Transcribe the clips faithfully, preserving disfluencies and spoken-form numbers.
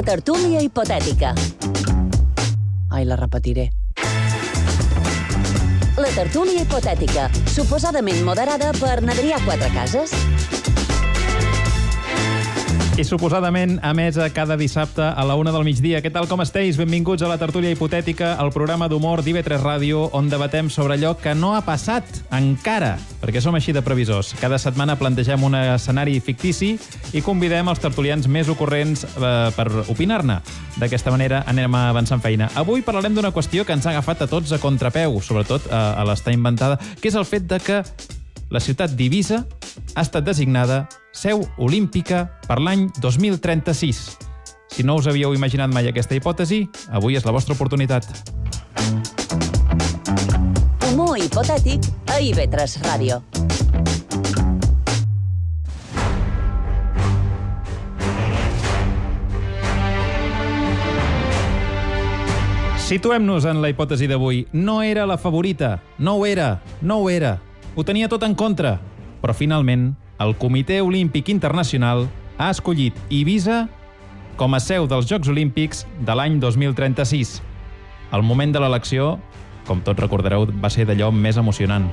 La tertúlia hipotètica. Ai, la repetiré. La tertúlia hipotètica, suposadament moderada per n'Adrià Quatrecases. I suposadament emesa cada dissabte a la una del migdia. Què tal, com esteu? Benvinguts a la tertúlia hipotètica, el programa d'humor d'I V tres Ràdio, on debatem sobre allò que no ha passat encara, perquè som així de previsors. Cada setmana plantegem un escenari fictici i convidem els tertulians més ocorrents eh, per opinar-ne. D'aquesta manera anem avançant feina. Avui parlarem d'una qüestió que ens ha agafat a tots a contrapeu, sobretot a, a l'estar inventada, que és el fet de que la ciutat d'Eivissa ha estat designada seu olímpica per l'any dos mil trenta-sis. Si no us havíeu imaginat mai aquesta hipòtesi, avui és la vostra oportunitat. Humor hipotètic a I V tres Ràdio. Situem-nos en la hipòtesi d'avui. No era la favorita. No ho era. No ho era. Ho tenia tot en contra. Però finalment, el Comitè Olímpic Internacional ha escollit Eivissa com a seu dels Jocs Olímpics de l'any dos mil trenta-sis. El moment de l'elecció, com tots recordareu, va ser d'allò més emocionant.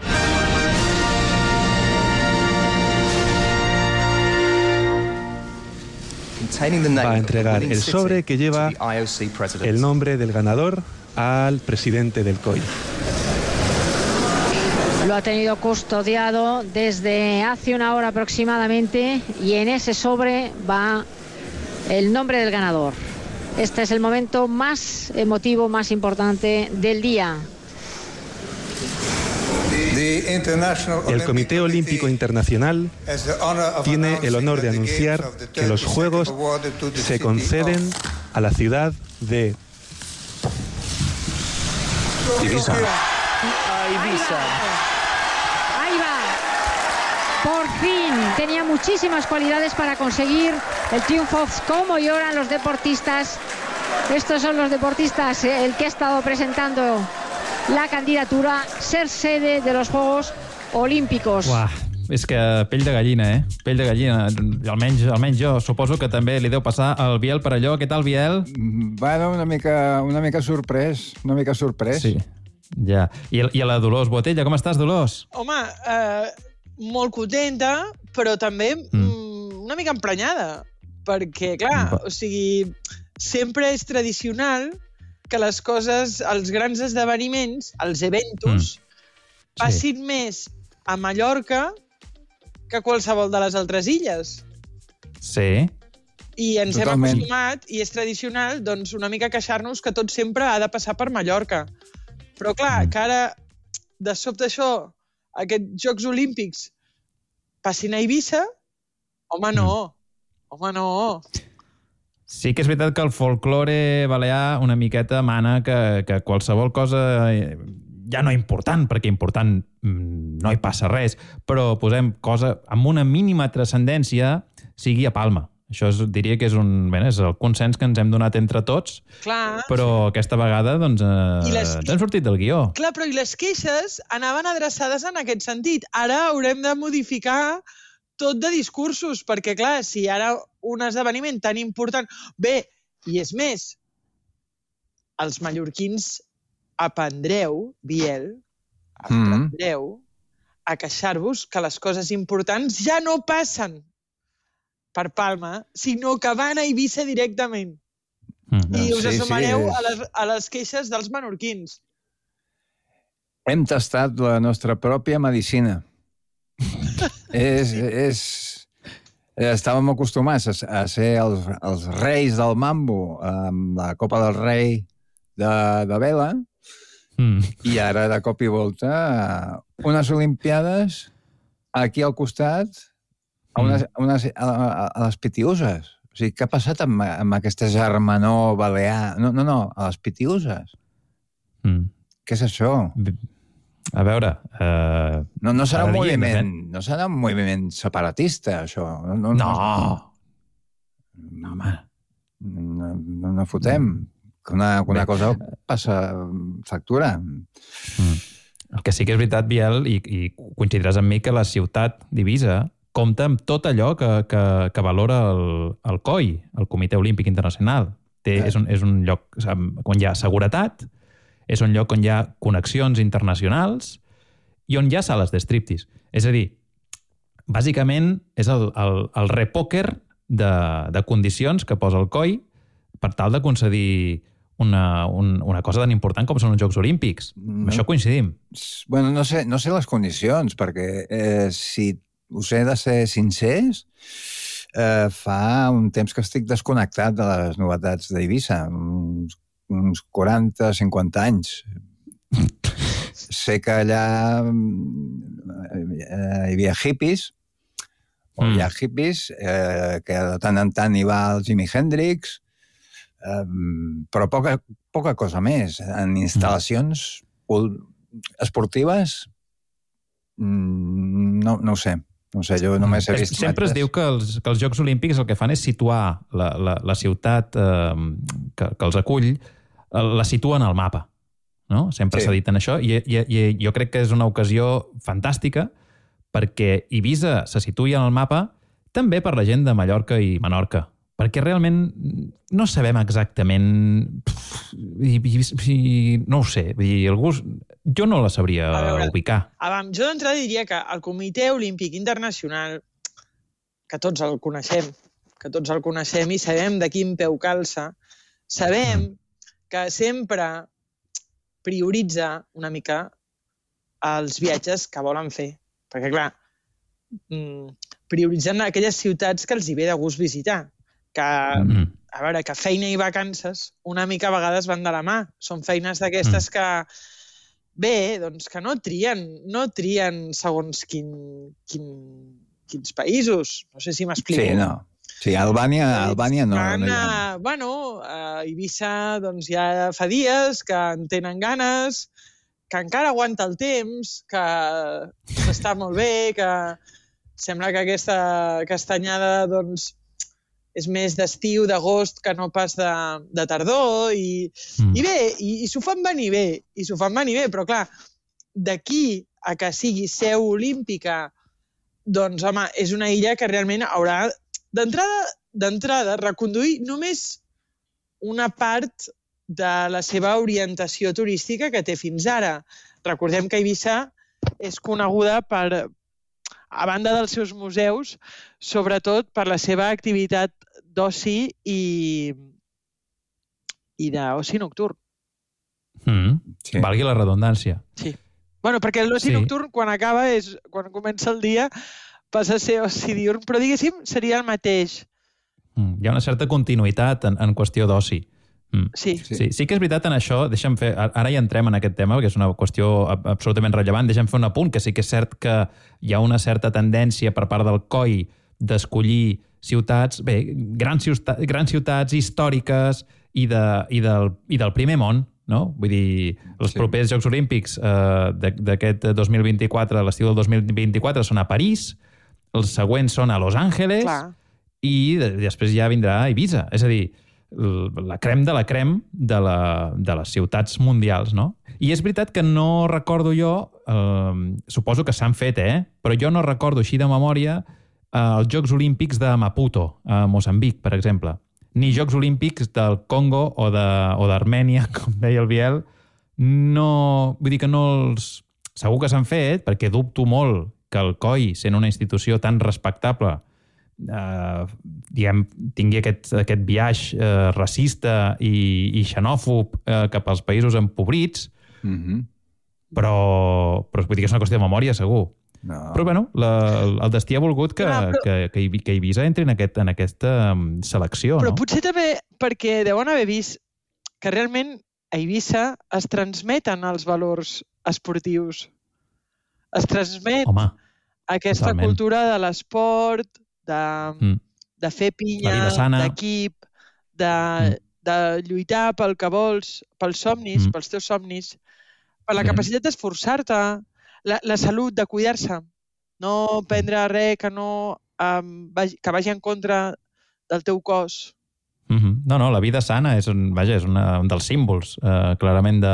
Va a entregar el sobre que lleva el nombre del ganador al presidente del C O I. Lo ha tenido custodiado desde hace una hora aproximadamente y en ese sobre va el nombre del ganador. Este es el momento más emotivo, más importante del día. El Comité Olímpico Internacional tiene el honor de anunciar que los Juegos se conceden a la ciudad de Eivissa. Eivissa. Ahí va. Por fin. Tenía muchísimas cualidades para conseguir el triunfo. Cómo lloran los deportistas. Estos son los deportistas, eh, el que ha estado presentando la candidatura, ser sede de los Juegos Olímpicos. Uah, és que pell de gallina, eh? Pell de gallina. Almenys, almenys jo suposo que també li deu passar al Biel per allò. Què tal, Biel? Bueno, una mica, una mica sorprès. Una mica sorprès. Sí. Ja. I, I a la Dolors Botella, com estàs, Dolors? Home, eh, molt contenta, però també mm. una mica emprenyada, perquè, clar, o sigui, sempre és tradicional que les coses, els grans esdeveniments, els eventos, mm. passin sí. més a Mallorca que a qualsevol de les altres illes. Sí. I ens Totalment. hem acostumat, i és tradicional, doncs, una mica queixar-nos que tot sempre ha de passar per Mallorca. Però, clar, que ara, de sobte això, aquests Jocs Olímpics passin a Eivissa, home, no. Home, no. Sí que és veritat que el folklore balear una miqueta mana que, que qualsevol cosa, ja no important, perquè important no hi passa res, però posem cosa amb una mínima transcendència sigui a Palma. Això és, diria que és, un, bé, és el consens que ens hem donat entre tots, clar, però aquesta vegada doncs, eh, les... ens hem sortit del guió. Clar, però i les queixes anaven adreçades en aquest sentit. Ara haurem de modificar tot de discursos, perquè, clar, si ara un esdeveniment tan important... Bé, i és més, els mallorquins aprendreu, Biel, aprendreu mm. a queixar-vos que les coses importants ja no passen per Palma, sinó que van a Eivissa directament. Mm. I us sí, assumareu sí, és... a, les, a les queixes dels menorquins. Hem tastat la nostra pròpia medicina. és, és... Estàvem acostumats a, a ser els, els reis del mambo amb la Copa del Rei de, de vela mm. i ara de cop i volta unes Olimpiades aquí al costat a, unes, a, unes, a, a les Pitiuses. O sigui, què ha passat amb, amb aquesta germanor balear? No, no, no, a les Pitiuses. Mm. Què és això? A veure... Uh, no, no serà un moviment, no serà un moviment separatista, això. No! No, no. no home, no, no, no fotem. Que una, una cosa passa factura. Mm. El que sí que és veritat, Biel, i, i coincidiràs amb mi, que la ciutat d'Eivissa, compta amb tot allò que, que, que valora el, el C O I, el Comitè Olímpic Internacional. Té, és, un, és un lloc on hi ha seguretat, és un lloc on hi ha connexions internacionals i on hi ha sales de striptease. És a dir, bàsicament és el, el, el repòquer de, de condicions que posa el C O I per tal de concedir una, un, una cosa tan important com són els Jocs Olímpics. No. Amb això coincidim. Bueno, no sé, no sé les condicions, perquè eh, si us he de ser sincers, eh, fa un temps que estic desconnectat de les novetats d'Eivissa, uns, uns quaranta cinquanta anys. Sé que allà eh, hi havia hippies, o hi ha hippies, eh, que de tant en tant hi va el Jimi Hendrix, eh, però poca, poca cosa més. En instal·lacions esportives, no, no ho sé. No sé, jo només he vist... Sempre es diu que els, que els Jocs Olímpics el que fan és situar la, la, la ciutat eh, que, que els acull, la situen al mapa. No? Sempre s'ha dit en això, i, i, i jo crec que és una ocasió fantàstica perquè Eivissa se situï en el mapa també per la gent de Mallorca i Menorca, perquè realment no sabem exactament... I, i, i, no ho sé, i algú, jo no la sabria veure, ubicar. Abans, jo d'entrada diria que el Comitè Olímpic Internacional, que tots el coneixem, que tots el coneixem i sabem de quin peu calça, sabem que sempre prioritza una mica els viatges que volen fer. Perquè, clar, prioritzen aquelles ciutats que els hi ve de gust visitar. Que, mm. a veure, que feina i vacances una mica a vegades van de la mà. Són feines d'aquestes mm. que, bé, doncs que no trien, no trien segons quin, quin, quins països. No sé si m'explico. Sí, no. Sí, Albània, Albània no. Van, no ha... Bueno, a Eivissa doncs, ja fa dies que en tenen ganes, que encara aguanta el temps, que està molt bé, que sembla que aquesta castanyada doncs, és més d'estiu, d'agost, que no pas de, de tardor, i, mm. i bé, i, i s'ho fan venir bé, i s'ho fan venir bé, però clar, d'aquí a que sigui seu olímpica, doncs, home, és una illa que realment haurà d'entrada d'entrada reconduir només una part de la seva orientació turística que té fins ara. Recordem que Eivissa és coneguda per, a banda dels seus museus, sobretot per la seva activitat d'oci i, i d'oci nocturn. Mm, sí. Valgui la redundància. Sí. Bueno, perquè l'oci sí. nocturn, quan acaba, és quan comença el dia, passa a ser oci diurn, però diguéssim, seria el mateix. Mm, hi ha una certa continuïtat en, en qüestió d'oci. Mm. Sí. Sí. Sí que és veritat en això, deixa'm fer, ara ja entrem en aquest tema, perquè és una qüestió absolutament rellevant, deixa'm fer un apunt, que sí que és cert que hi ha una certa tendència per part del C O I d'escollir ciutats, bé, grans ciutats, grans ciutats històriques i, de, i, del, i del primer món, no? Vull dir, els sí. propers Jocs Olímpics eh, d'aquest dos mil vint-i-quatre, l'estiu del dos mil vint-i-quatre, són a París, els següents són a Los Angeles, Clar. i després ja vindrà a Eivissa. És a dir, la crem de la crem de, la, de les ciutats mundials, no? I és veritat que no recordo jo, eh, suposo que s'han fet, eh? Però jo no recordo així de memòria eh, els Jocs Olímpics de Maputo, a Moçambic, per exemple. Ni Jocs Olímpics del Congo o d'Armènia, com deia el Biel. No, vull dir que no els... Segur que s'han fet, perquè dubto molt que el C O I, sent una institució tan respectable, Uh, diguem, tingui aquest, aquest viatge uh, racista i, i xenòfob uh, cap als països empobrits, mm-hmm. però, però vull dir que és una qüestió de memòria, segur. No. Però, bueno, la, el destí ha volgut que, no, però... que, que, que Eivissa entri en, aquest, en aquesta selecció, però no? Potser també perquè deuen haver vist que realment a Eivissa es transmeten els valors esportius. Es transmet Home, aquesta totalment. Cultura de l'esport, de, mm. de fer pinya, d'equip, de, mm. de lluitar pel que vols, pels somnis, mm. pels teus somnis, per la sí. capacitat d'esforçar-te, la, la salut, de cuidar-se, no prendre res que, no, um, vagi, que vagi en contra del teu cos. Mm-hmm. No, no, la vida sana és un, vaja, és una, un dels símbols, eh, clarament, de,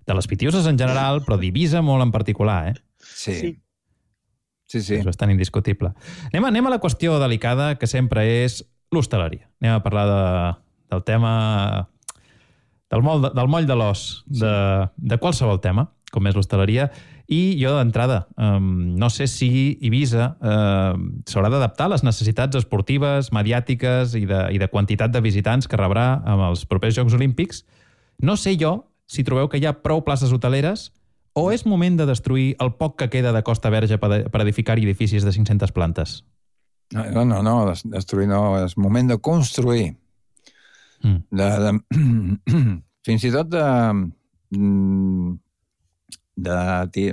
de les pitiuses en general, però d'Eivissa molt en particular, eh? Sí. sí. Sí, sí. És bastant indiscutible. Anem a, anem a la qüestió delicada, que sempre és l'hostaleria. Anem a parlar de, del tema... del moll de, del moll de l'os, de, de qualsevol tema, com és l'hostaleria. I jo, d'entrada, um, no sé si Eivissa uh, s'haurà d'adaptar a les necessitats esportives, mediàtiques i de, i de quantitat de visitants que rebrà amb els propers Jocs Olímpics. No sé jo si trobeu que hi ha prou places hoteleres o és moment de destruir el poc que queda de Costa Verge per, per edificar edificis de cinc-centes plantes? No, no, no, destruir no, és moment de construir. Mm. De, de, fins i tot de... de,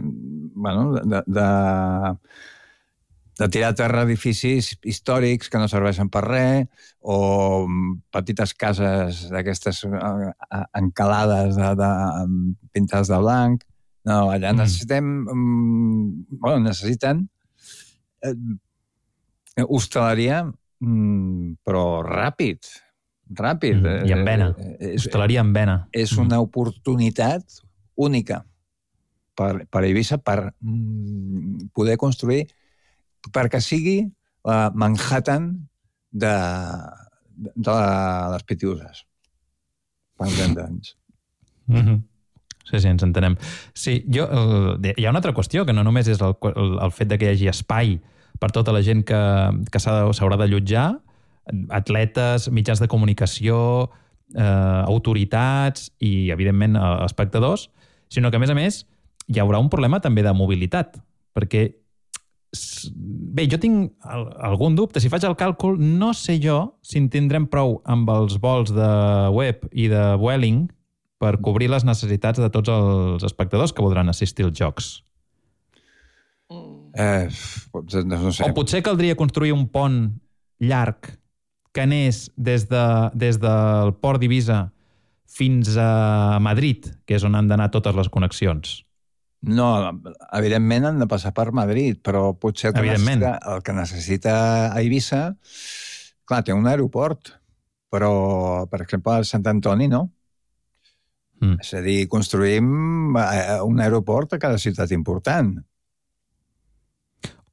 bueno, de, de, de tirar a terra edificis històrics que no serveixen per res o petites cases d'aquestes encalades de, de, pintades de blanc. No, allà necessitem... Mm. Bueno, necessiten eh, hostaleria, mm, però ràpid. Ràpid. Mm. I amb vena. Eh, hostaleria amb vena. És una mm. oportunitat única per, per Eivissa per mm, poder construir, perquè sigui la Manhattan de, de, de les Pitiüses. Per entendre'ns. Mhm. Sí, sí, ens entenem. Sí, jo, eh, hi ha una altra qüestió, que no només és el, el, el fet de que hi hagi espai per tota la gent que, que s'haurà de allotjar, atletes, mitjans de comunicació, eh, autoritats i, evidentment, espectadors, sinó que, a més a més, hi haurà un problema també de mobilitat, perquè, bé, jo tinc algun dubte. Si faig el càlcul, no sé jo si en tindrem prou amb els vols de Webb i de Vueling per cobrir les necessitats de tots els espectadors que voldran assistir als Jocs. Eh, no sé. O potser caldria construir un pont llarg que anés des, de, des del port d'Eivissa fins a Madrid, que és on han d'anar totes les connexions. No, evidentment han de passar per Madrid, però potser el que, necessita, el que necessita a Eivissa, clar, té un aeroport, però, per exemple, a Sant Antoni no. Mm. És a dir, construïm un aeroport a cada ciutat important.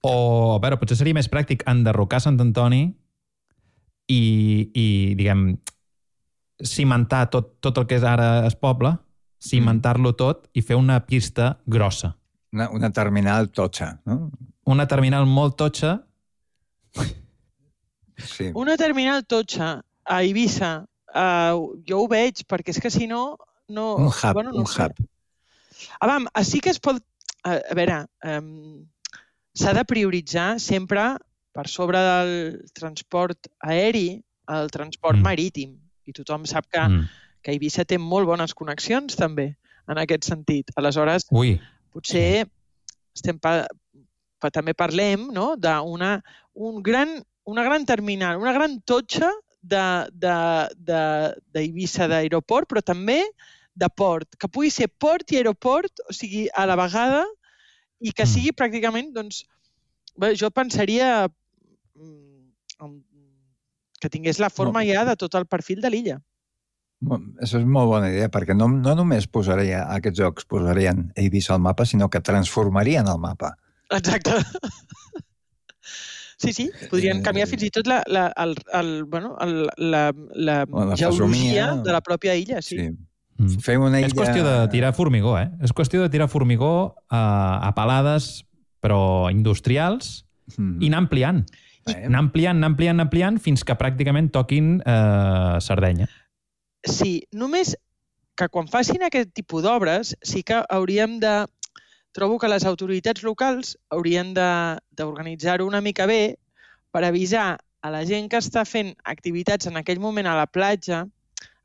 O, a veure, potser seria més pràctic enderrocar Sant Antoni i, i diguem, cimentar tot, tot el que és ara es poble, cimentar-lo tot i fer una pista grossa. Una, una terminal totxa, no? Una terminal molt totxa. Sí. Una terminal totxa a Eivissa, uh, jo ho veig, perquè és que si no... No, un hub, bueno, no un sé. hub. Ah, vam, sí que es pot... A, a veure, um, s'ha de prioritzar sempre per sobre del transport aeri el transport mm. marítim. I tothom sap que, mm. que Eivissa té molt bones connexions també en aquest sentit. Aleshores, Ui. potser estem pa, pa, també parlem, no?, d'una un gran, una gran terminal, una gran totxa d'Eivissa d'aeroport, però també de port, que pugui ser port i aeroport, o sigui, a la vegada, i que sigui pràcticament, doncs, bé, jo pensaria que tingués la forma ja de tot el perfil de l'illa. Això és molt bona idea, perquè no, no només posaria aquests jocs, posarien Eivissa al mapa, sinó que transformarien el mapa. Exacte. Sí, sí, podrien canviar fins i tot la, la, el, el, bueno, el, la, la, la geologia de la pròpia illa, sí. sí. Mm. Fem una illa... És qüestió de tirar formigó, eh? És qüestió de tirar formigó a, a palades, però industrials, mm. i anar ampliant. I... Anar ampliant, anar ampliant, anar ampliant, fins que pràcticament toquin eh, Sardenya. Sí, només que quan facin aquest tipus d'obres sí que hauríem de... Trobo que les autoritats locals haurien d'organitzar-ho una mica bé per avisar a la gent que està fent activitats en aquell moment a la platja,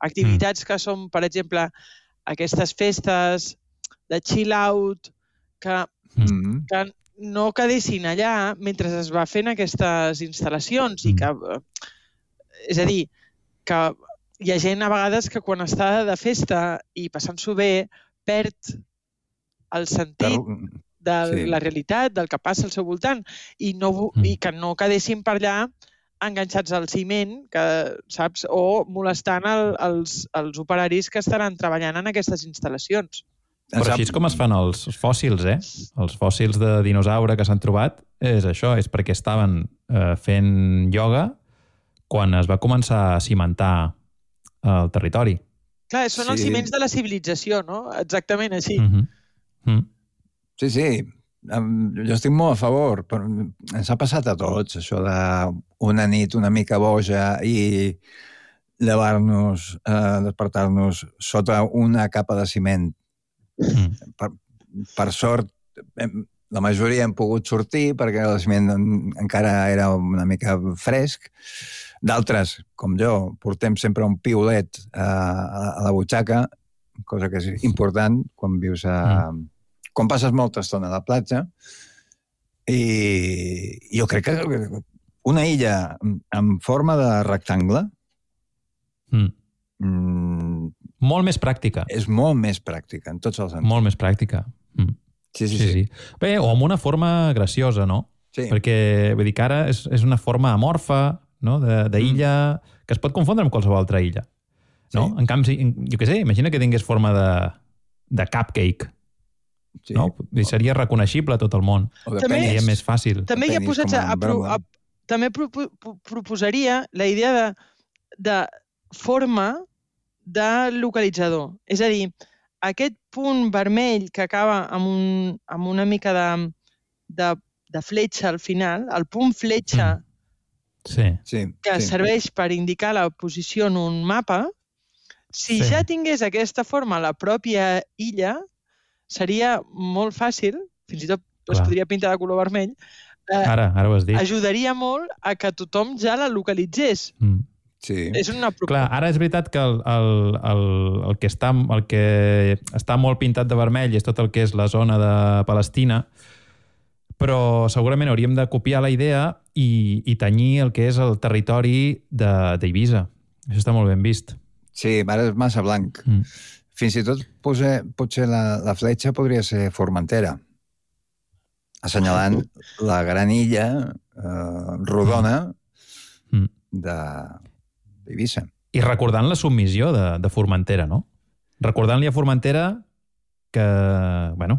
activitats mm. que són, per exemple, aquestes festes de chill out, que, mm. que no quedessin allà mentre es va fent aquestes instal·lacions. Mm. I que, és a dir, que hi ha gent a vegades que quan està de festa i passant-s'ho bé perd el sentit de sí. la realitat, del que passa al seu voltant, i, no, mm. i que no quedessin per allà enganxats al ciment, que, saps, o molestant el, els, els operaris que estaran treballant en aquestes instal·lacions. Però així és com es fan els fòssils, eh? Els fòssils de dinosaure que s'han trobat és això, és perquè estaven eh, fent ioga quan es va començar a cimentar el territori. Clar, són sí. els ciments de la civilització, no? Exactament així. Mm-hmm. Mm. Sí, sí. Jo estic molt a favor. Però ens ha passat a tots, això d'una nit una mica boja i llevar-nos, eh, despertar-nos sota una capa de ciment. Mm. Per, per sort, la majoria hem pogut sortir perquè el ciment encara era una mica fresc. D'altres, com jo, portem sempre un piolet a, a la butxaca, cosa que és important quan vius a... Mm. Quan passes molta estona a la platja. I jo crec que una illa en forma de rectangle mm. Mm, molt més pràctica. És molt més pràctica, en tots els sentits. Molt més pràctica. Mm. Sí, sí, sí, sí. sí. Bé, o amb una forma graciosa, no? Sí. Perquè, vull dir que ara és, és una forma amorfa, no? D'illa, mm. que es pot confondre amb qualsevol altra illa. No? Sí. En canvi, jo què sé, imagina que tingués forma de, de cupcake. Sí. No? I seria reconeixible a tot el món. O de també, penis. més fàcil. També hi ha posats a, a, a, a, també pro, pro, proposaria la idea de, de forma de localitzador. És a dir, aquest punt vermell que acaba amb, un, amb una mica de, de, de fletxa al final, el punt fletxa mm. sí. Sí, que sí. serveix per indicar la posició en un mapa, si sí. ja tingués aquesta forma a la pròpia illa, seria molt fàcil, fins i tot es podria pintar de color vermell, eh, ara, ara ho has dit. Ajudaria molt a que tothom ja la localitzés. Mm. Sí. És una proposta. Clar, ara és veritat que el, el, el, el, que està, el que està molt pintat de vermell és tot el que és la zona de Palestina, però segurament hauríem de copiar la idea i, i tenyir el que és el territori d'Eivissa. Això està molt ben vist. Sí, ara és massa blanc. Mm. Fins i tot potser, potser la, la fletxa podria ser Formentera, assenyalant la gran illa eh, rodona mm. de d'Eivissa. I recordant la submissió de, de Formentera, no? Recordant-li a Formentera que, bueno,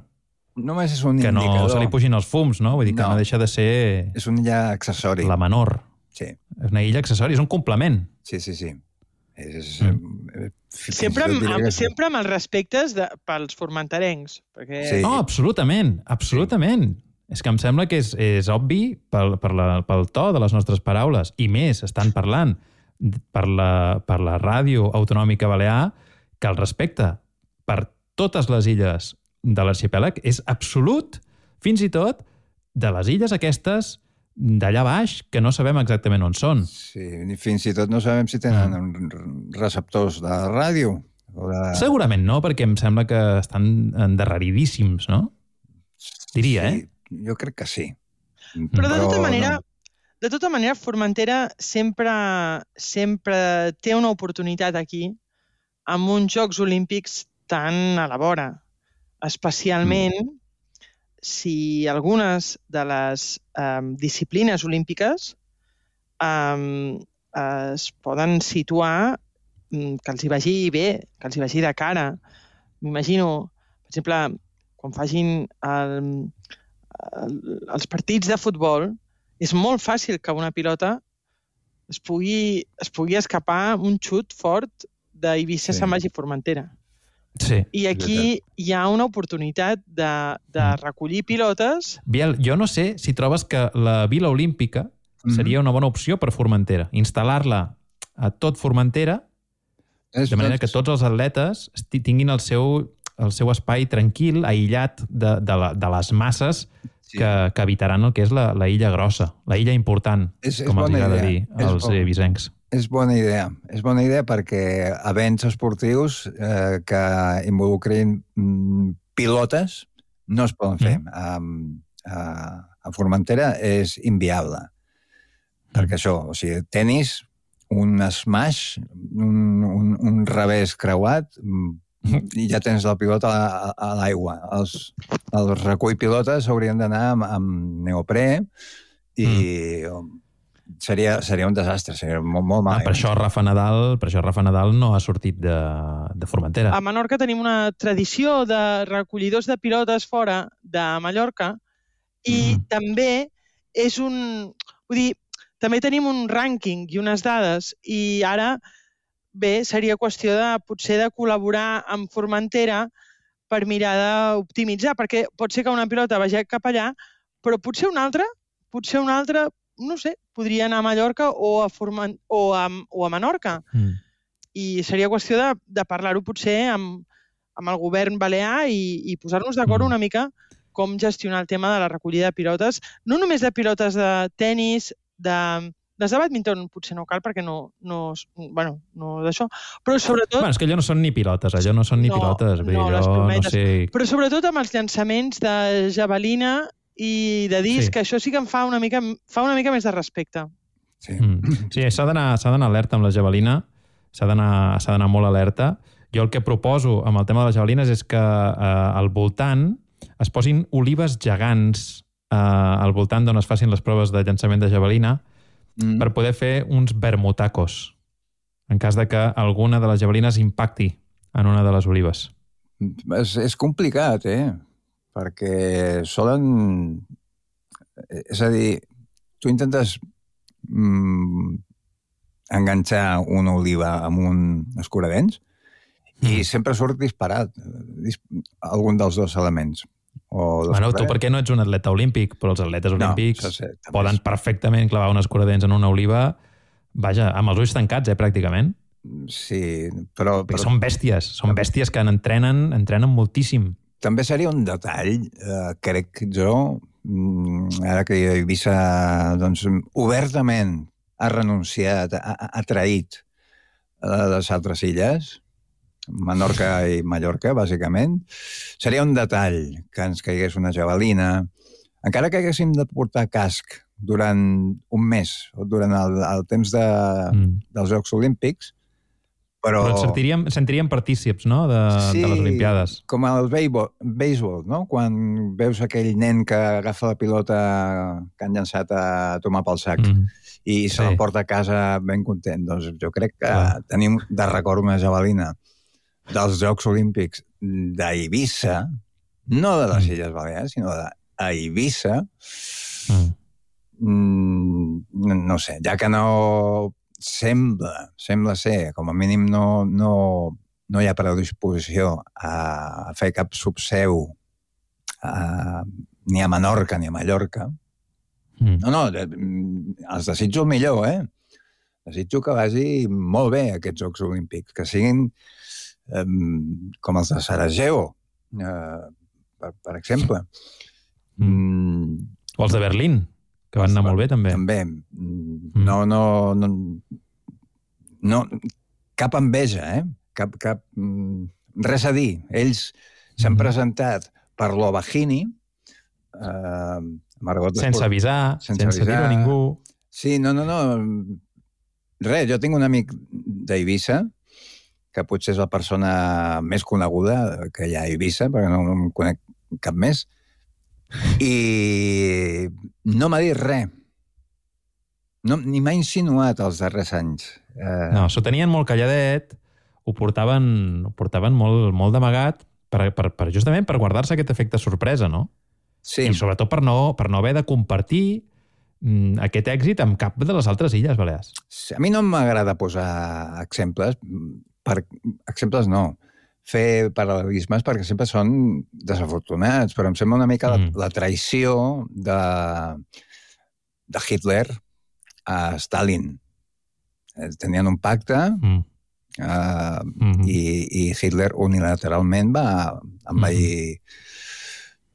només és un que indicador. No se li pugin els fums, no? Vull dir que no, no deixa de ser... És una illa accessori. La menor. Sí. És una illa accessori, és un complement. Sí, sí, sí. És, mm. sempre, amb, amb, sempre amb els respectes de, pels formenterencs. Perquè... Sí. No, absolutament, absolutament. Sí. És que em sembla que és, és obvi pel, per la, pel to de les nostres paraules, i més, estan parlant per la, per la ràdio autonòmica balear, que el respecte per totes les illes de l'arxipèlag és absolut, fins i tot de les illes aquestes d'allà baix, que no sabem exactament on són. Sí, fins i tot no sabem si tenen ah. receptors de ràdio. O de... Segurament no, perquè em sembla que estan endarreridíssims, no? Diria, sí, eh? Jo crec que sí. Però de tota manera, de tota manera Formentera sempre, sempre té una oportunitat aquí amb uns Jocs Olímpics tan a la vora. Especialment mm. si algunes de les um, disciplines olímpiques um, es poden situar um, que els hi vagi bé, que els hi vagi de cara. M'imagino, per exemple, quan facin el, el, els partits de futbol, és molt fàcil que una pilota es pugui, es pugui escapar un xut fort d'Eivissa sí. se'n vagi a Formentera. Sí. I aquí hi ha una oportunitat de, de recollir pilotes. Biel, jo no sé si trobes que la Vila Olímpica mm-hmm. seria una bona opció per Formentera. Instal·lar-la a tot Formentera, és de manera que tots els atletes tinguin el seu, el seu espai tranquil, aïllat de, de, la, de les masses sí. que, que habitaran el que és la, la illa grossa, la illa important, és, com és els agrada idea. dir als eivissencs. És bona idea. És bona idea perquè events esportius eh, que involucrin mm, pilotes no es poden fer. Mm. A, a, a Formentera és inviable. Mm. Perquè això, o sigui, tenis, un smash, un, un, un revés creuat, i ja tens la pilota a, a l'aigua. Els, els recull pilotes haurien d'anar amb, amb neoprè i... Mm. seria, seria un desastre, seria molt, molt mal. Ah, per això Rafa Nadal, per això Rafa Nadal no ha sortit de, de Formentera. A Menorca tenim una tradició de recollidors de pilotes fora de Mallorca i mm. també és un... Vull dir, també tenim un rànquing i unes dades i ara, bé, seria qüestió de potser de col·laborar amb Formentera per mirar d'optimitzar, perquè pot ser que una pilota vagi cap allà, però potser una altra, potser una altra, no sé, podria anar a Mallorca o a, Forment o a, o a Menorca. Mm. I seria qüestió de, de parlar-ho potser amb, amb el govern balear i, i posar-nos d'acord mm. una mica com gestionar el tema de la recollida de pilotes, no només de pilotes de tennis, de... Des de bàdminton potser no cal perquè no, no, bueno, no d'això, però sobretot... Bueno, és que allò no són ni pilotes, allò no són ni no, pilotes. No, allò, les plometes. No sé... Però sobretot amb els llançaments de javelina i de disc, sí. que això sí que em fa una mica, fa una mica més de respecte. Sí, mm. sí s'ha d'anar alerta amb la javelina, s'ha d'anar molt alerta. Jo el que proposo amb el tema de les javelines és que eh, al voltant es posin olives gegants eh, al voltant d'on es facin les proves de llançament de javelina, Mm. per poder fer uns vermutacos en cas de que alguna de les javelines impacti en una de les olives. És, és complicat, eh? Perquè solen... És a dir, tu intentes mm, enganxar una oliva amb un escuradents mm. i sempre surt disparat algun dels dos elements. Bueno, tu per què no ets un atleta olímpic? Però els atletes olímpics no, sé, poden perfectament clavar un escuradents en una oliva, vaja, amb els ulls tancats, eh, pràcticament. Sí, però... Perquè però... són bèsties, són bèsties que entrenen, entrenen moltíssim. També seria un detall, eh, crec jo, ara que Eivissa doncs, obertament ha renunciat, ha, ha traït a les altres illes, Menorca i Mallorca, bàsicament, seria un detall que ens caigués una javelina, encara que haguéssim de portar casc durant un mes, o durant el, el temps de, mm. dels Jocs Olímpics, però... Però ens sentiríem, sentiríem partícips, no?, de, sí, de les Olimpiades. Com el béisbol, no?, quan veus aquell nen que agafa la pilota que han llançat a tomar pel sac mm. i se sí. la porta a casa ben content. Doncs jo crec que ah. tenim de record una javelina dels Jocs Olímpics d'Eivissa, no de les Illes Balears, sinó d'Eivissa, mm. mm, no sé, ja que no sembla, sembla ser, com a mínim no, no, no hi ha predisposició a fer cap subseu a, ni a Menorca ni a Mallorca. Mm. No, no, els desitjo el millor, eh? Desitjo que vagi molt bé aquests Jocs Olímpics, que siguin Um, com els de Sarajevo, uh, per, per exemple. Mm. O els de Berlín, que van anar molt bé, també. També. Mm. No, no, no, no... Cap enveja, eh? Cap, cap, mm, res a dir. Ells s'han mm. presentat per l'Ovahini, uh, Margot sense Esport, avisar, sense, sense avisar. dir-ho a ningú. Sí, no, no, no. Res, jo tinc un amic d'Eivissa que potser és la persona més coneguda que hi ha a Eivissa, perquè no, no em conec cap més, i no m'ha dit res. No, ni m'ha insinuat els darrers anys. Eh... No, s'ho tenien molt calladet, ho portaven, ho portaven molt, molt d'amagat, per, per, per, justament per guardar-se aquest efecte sorpresa, no? Sí. I sobretot per no, per no haver de compartir mm, aquest èxit amb cap de les altres Illes Balears. A mi no m'agrada posar exemples, per exemples no, fer paral·lelismes perquè sempre són desafortunats, però em sembla una mica mm. la, la traïció de, de Hitler a Stalin. Tenien un pacte mm. uh, mm-hmm. i, i Hitler unilateralment va envair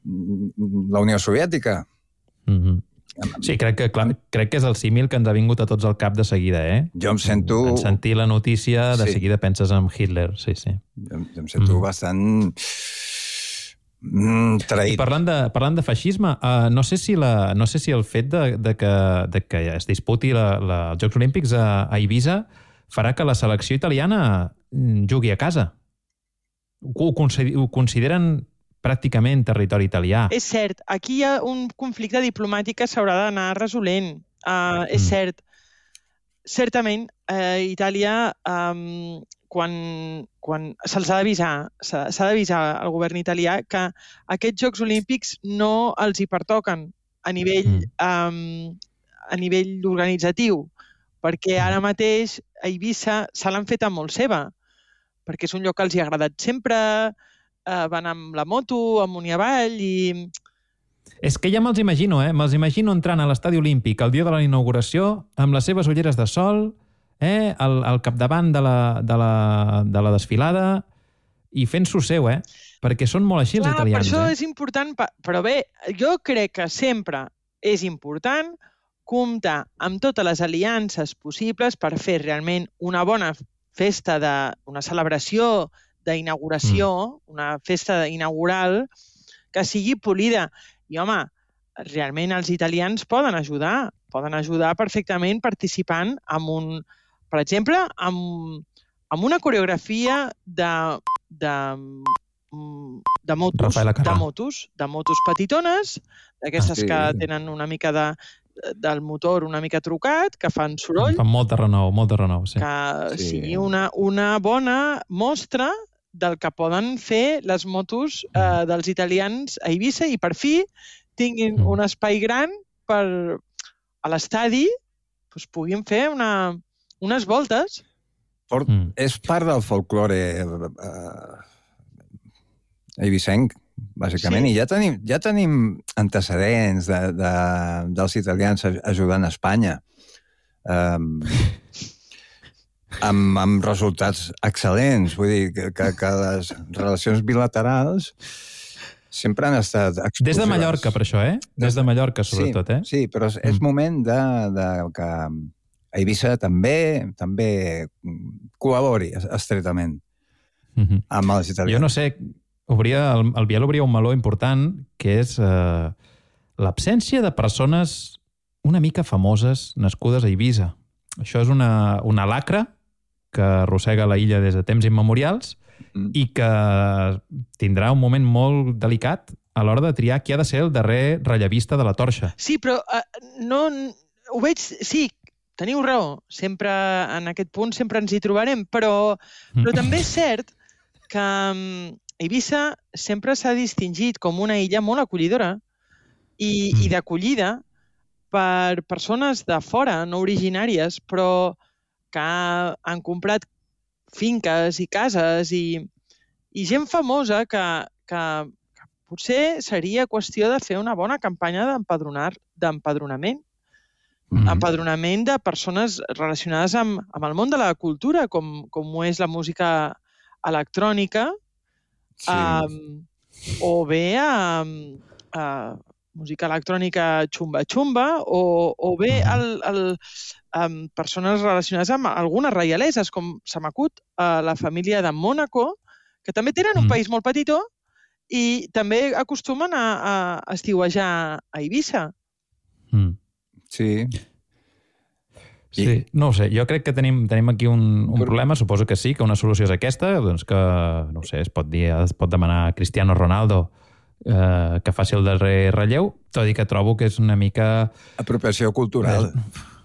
mm-hmm. la Unió Soviètica. Mm-hmm. Sí, crec que, clar, crec que és el símil que ens ha vingut a tots al cap de seguida, eh? Jo em sento... En sentir la notícia, de sí. seguida penses en Hitler, sí, sí. Jo, jo em sento mm. bastant mm, traït. I parlant de, parlant de feixisme, uh, no, sé si la, no sé si el fet de, de, que, de que es disputi la, la, els Jocs Olímpics a, a Eivissa farà que la selecció italiana jugui a casa. Ho, ho consideren pràcticament territori italià. És cert, aquí hi ha un conflicte diplomàtic que s'haurà d'anar resolent. Uh, és mm. cert. Certament, eh, Itàlia, um, quan, quan se'ls ha d'avisar, s'ha d'avisar al govern italià que aquests Jocs Olímpics no els hi pertoquen a nivell, mm. um, a nivell organitzatiu, perquè ara mateix a Eivissa se l'han fet molt seva, perquè és un lloc que els hi ha agradat sempre, eh, van amb la moto, amunt i avall, i... És que ja me'ls imagino, eh? Me'ls imagino entrant a l'estadi olímpic el dia de la inauguració, amb les seves ulleres de sol, eh? al, al capdavant de la, de, la, de la desfilada, i fent-s'ho seu, eh? Perquè són molt així, Clar, els italians. Per això eh? és important, però bé, jo crec que sempre és important comptar amb totes les aliances possibles per fer realment una bona festa, de, una celebració d'inauguració, mm. una festa inaugural que sigui polida. I, home, realment els italians poden ajudar, poden ajudar perfectament participant en un, per exemple, amb, amb una coreografia de, de, de motos, de motos, de motos petitones, d'aquestes ah, sí. que tenen una mica de, del motor una mica trucat, que fan soroll. Fan molta renou, molta renou, sí. Que sí. sigui una, una bona mostra del que poden fer les motos eh, dels italians a Eivissa i per fi tinguin mm. un espai gran per a l'estadi doncs, puguin fer una, unes voltes. Port, mm. És part del folklore eh, eivissenc, bàsicament, sí. i ja tenim, ja tenim antecedents de, de, dels italians ajudant a Espanya. Um, amb, amb resultats excel·lents. Vull dir que, que, que les relacions bilaterals sempre han estat exclusives. Des de Mallorca, per això, eh? Des de Mallorca, sobretot, sí, eh? Sí, però és, és mm. moment de, de que Eivissa també també col·labori estretament mm -hmm. amb els italians. Jo no sé, obria, el, el Biel obria un meló important, que és eh, l'absència de persones una mica famoses nascudes a Eivissa. Això és una, una lacra que arrossega la illa des de temps immemorials mm. i que tindrà un moment molt delicat a l'hora de triar qui ha de ser el darrer rellevista de la torxa. Sí, però uh, no, ho veig... Sí, teniu raó. Sempre, en aquest punt sempre ens hi trobarem, però, però també és cert que um, Eivissa sempre s'ha distingit com una illa molt acollidora i, mm. i d'acollida per persones de fora, no originàries, però que han comprat finques i cases i, i gent famosa que, que, que potser seria qüestió de fer una bona campanya d'empadronament. Mm-hmm. Empadronament de persones relacionades amb, amb el món de la cultura, com, com ho és la música electrònica, sí. um, o bé um, uh, música electrònica xumba-xumba, o, o bé el, el, um, persones relacionades amb algunes reialeses, com se m'acut uh, la família de Mònaco, que també tenen un mm. país molt petitó i també acostumen a, a estiuejar a Eivissa. Mm. Sí. Sí, I... no ho sé, jo crec que tenim, tenim aquí un, un Però... problema, suposo que sí, que una solució és aquesta, doncs que, no ho sé, es pot dir, es pot demanar a Cristiano Ronaldo eh, que faci el darrer relleu, tot i que trobo que és una mica... Apropiació cultural.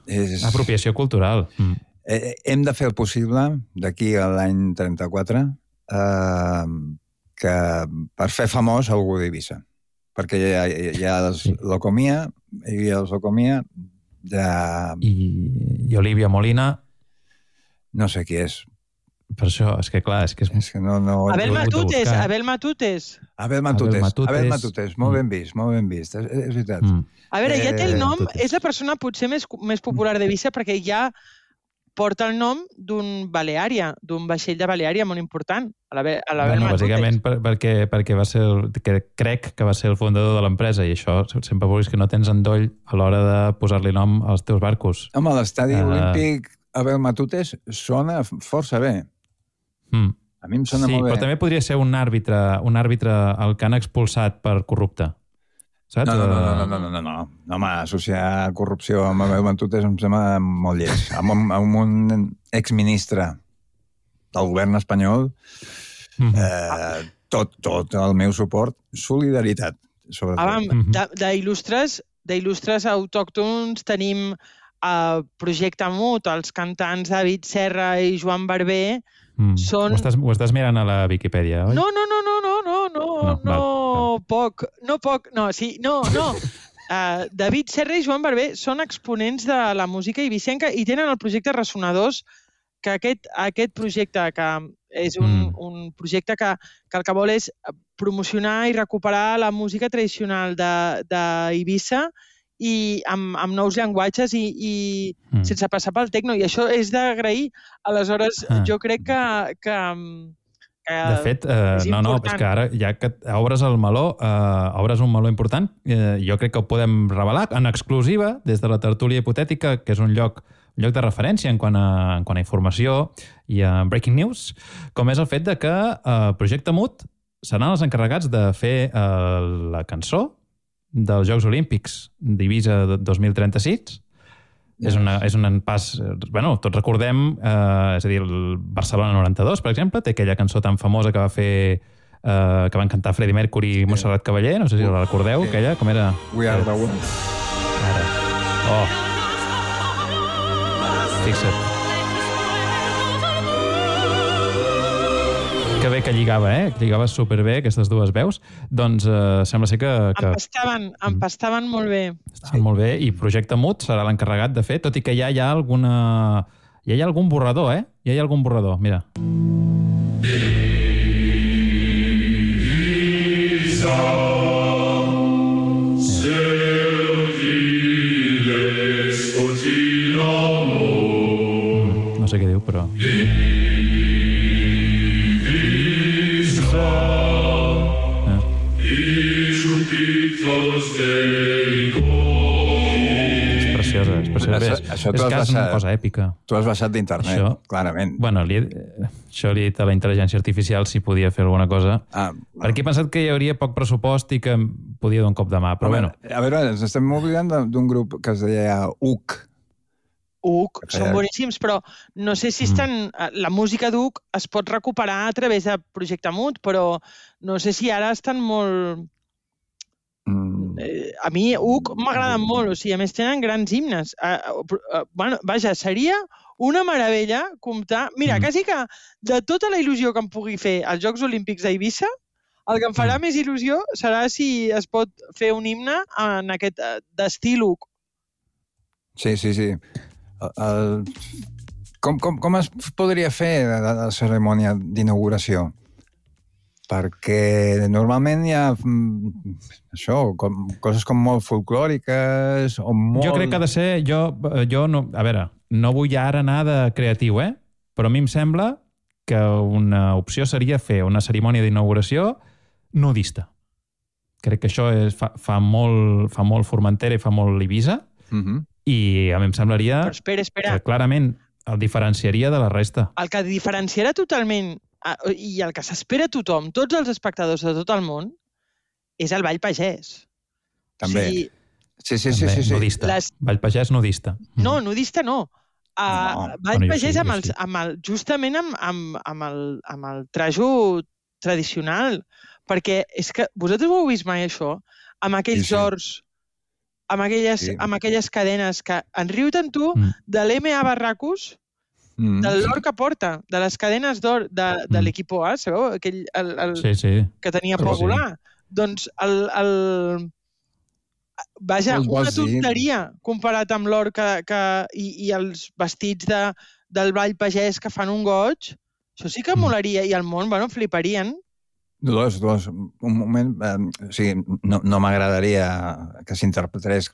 És... És... Apropiació cultural. Mm. Eh, hem de fer el possible, d'aquí a l'any trenta-quatre, eh, que per fer famós algú d'Eivissa. Perquè hi ha, hi ha els sí. Locomia, hi ha els Locomia, de... I, I Olivia Molina... No sé qui és. Per això, és que clar, és que... És... és que no, no... Abel Matutes, Abel Matutes. Abel Matutes, Abel Matutes, molt ben vist, molt ben vist, és, és veritat. Mm. A veure, ja té el nom, és la persona potser més, més popular d'Eivissa perquè ja porta el nom d'un Baleària, d'un vaixell de Baleària molt important, a l'Abel bueno, Matutes. Bàsicament per, perquè, perquè va ser el, que crec que va ser el fundador de l'empresa i això sempre vulguis que no tens endoll a l'hora de posar-li nom als teus barcos. Home, l'estadi uh... olímpic Abel Matutes sona força bé. Mm. A mi em sona sí, molt bé. Però també podria ser un àrbitre, un àrbitre el que han expulsat per corrupte. Saps? No, no, no, no, no, no, no, no. no home, associar corrupció amb Abel Matutes em sembla molt lleig. Amb un, amb un exministre del govern espanyol, mm-hmm. eh, tot, tot el meu suport, solidaritat, sobretot. Ah, d'il·lustres d'il·lustres autòctons tenim el Projecte Mut, els cantants David Serra i Joan Barber, Mm. són... Ho estàs, ho estàs mirant a la Viquipèdia, oi? No, no, no, no, no, no, no, No, no, val, poc, no poc, no, sí, no, no. Uh, David Serra i Joan Barber són exponents de la música eivissenca i tenen el projecte Ressonadors, que aquest, aquest projecte, que és un, Mm. un projecte que, que el que vol és promocionar i recuperar la música tradicional d'Eivissa i amb, amb nous llenguatges i, i Mm. sense passar pel tecno. I això és d'agrair. Aleshores, Ah. jo crec que... que, que De fet, eh, és no, no, important. és que ara, ja que obres el meló, eh, obres un meló important, eh, jo crec que ho podem revelar en exclusiva des de la tertúlia hipotètica, que és un lloc, un lloc de referència en quant, a, en quant a informació i a breaking news, com és el fet de que eh, Projecte Mut seran els encarregats de fer eh, la cançó dels Jocs Olímpics d'Eivissa dos mil trenta-sis. És, una, és un pas... Bueno, tots recordem, eh, és a dir, el Barcelona noranta-dos, per exemple, té aquella cançó tan famosa que va fer... Eh, que van cantar Freddie Mercury i Montserrat Caballé, no sé si la recordeu, Sí. aquella, com era? We are the world. Ara. Oh. Fixa't. Que bé que lligava, eh? Que lligava superbé aquestes dues veus. Doncs eh, sembla ser que... que Empastaven, empastaven molt bé. estaven molt bé, i Projecte Mut serà l'encarregat de fer, tot i que ja hi ha alguna... Ja hi ha algun borrador, eh? Ja hi ha algun borrador, mira. Mm, no sé què diu, però... És preciosa, és preciosa. Això- Bé, això és t'ho has que és una baixat. cosa èpica. Tu has baixat d'internet, Això- clarament. Bueno, li he, això li he dit a la intel·ligència artificial si podia fer alguna cosa. Ah, Perquè he pensat que hi hauria poc pressupost i que em podia donar un cop de mà, però bueno. A veure, ens estem oblidant de- d'un grup que es deia U C. U C, Que són feia- boníssims, però no sé si estan... La música d'U C es pot recuperar a través de Projecte Mut, però no sé si ara estan molt... Mm. Eh, a mi U C m'agraden molt, o sigui, a més tenen grans himnes. Eh, eh, bueno, vaja, seria una meravella comptar... Mira, Mm. quasi que de tota la il·lusió que em pugui fer als Jocs Olímpics d'Eivissa, el que em farà Mm. més il·lusió serà si es pot fer un himne en aquest eh, d'estil U C. Sí, sí, sí. El, el... Com, com, com es podria fer la, la cerimònia d'inauguració? Perquè normalment hi ha mm, això, com, coses com molt folclòriques o molt... Jo crec que ha de ser... Jo, jo no, a veure, no vull ara anar de creatiu, eh? Però a mi em sembla que una opció seria fer una cerimònia d'inauguració nudista. Crec que això és, fa, fa, molt, fa molt Formentera i fa molt Eivissa, Uh -huh. i a mi em semblaria Però espera, espera. que clarament el diferenciaria de la resta. El que diferenciarà totalment eh, i el que s'espera tothom, tots els espectadors de tot el món, és el ball pagès. També. O sigui, Sí, sí, sí. També, sí, sí. nudista. Les- Vall pagès nudista. no, nudista no. Uh, No. ball Bueno, jo pagès sí, amb, jo els, sí. amb el, justament amb, amb, amb, el, amb el trajo tradicional. Perquè és que vosaltres ho heu vist mai, això? Amb aquells Sí, sí. horts, amb aquelles, Sí. amb aquelles cadenes que en riu tant tu Mm. de l'M A Barracus, Mm. de l'or que porta, de les cadenes d'or de, de Mm. l'equipo A, sabeu? Aquell, el, el, Sí, sí. que tenia Sí, por sí. volar. Doncs el, el... Vaja, Vols- una vols dir? tonteria comparat amb l'or que, que, i, i els vestits de, del ball pagès que fan un goig. Això sí que Mm. molaria. I el món, bueno, fliparien. Dolors, Dolors, un moment... Eh, o sigui, no, no m'agradaria que s'interpretés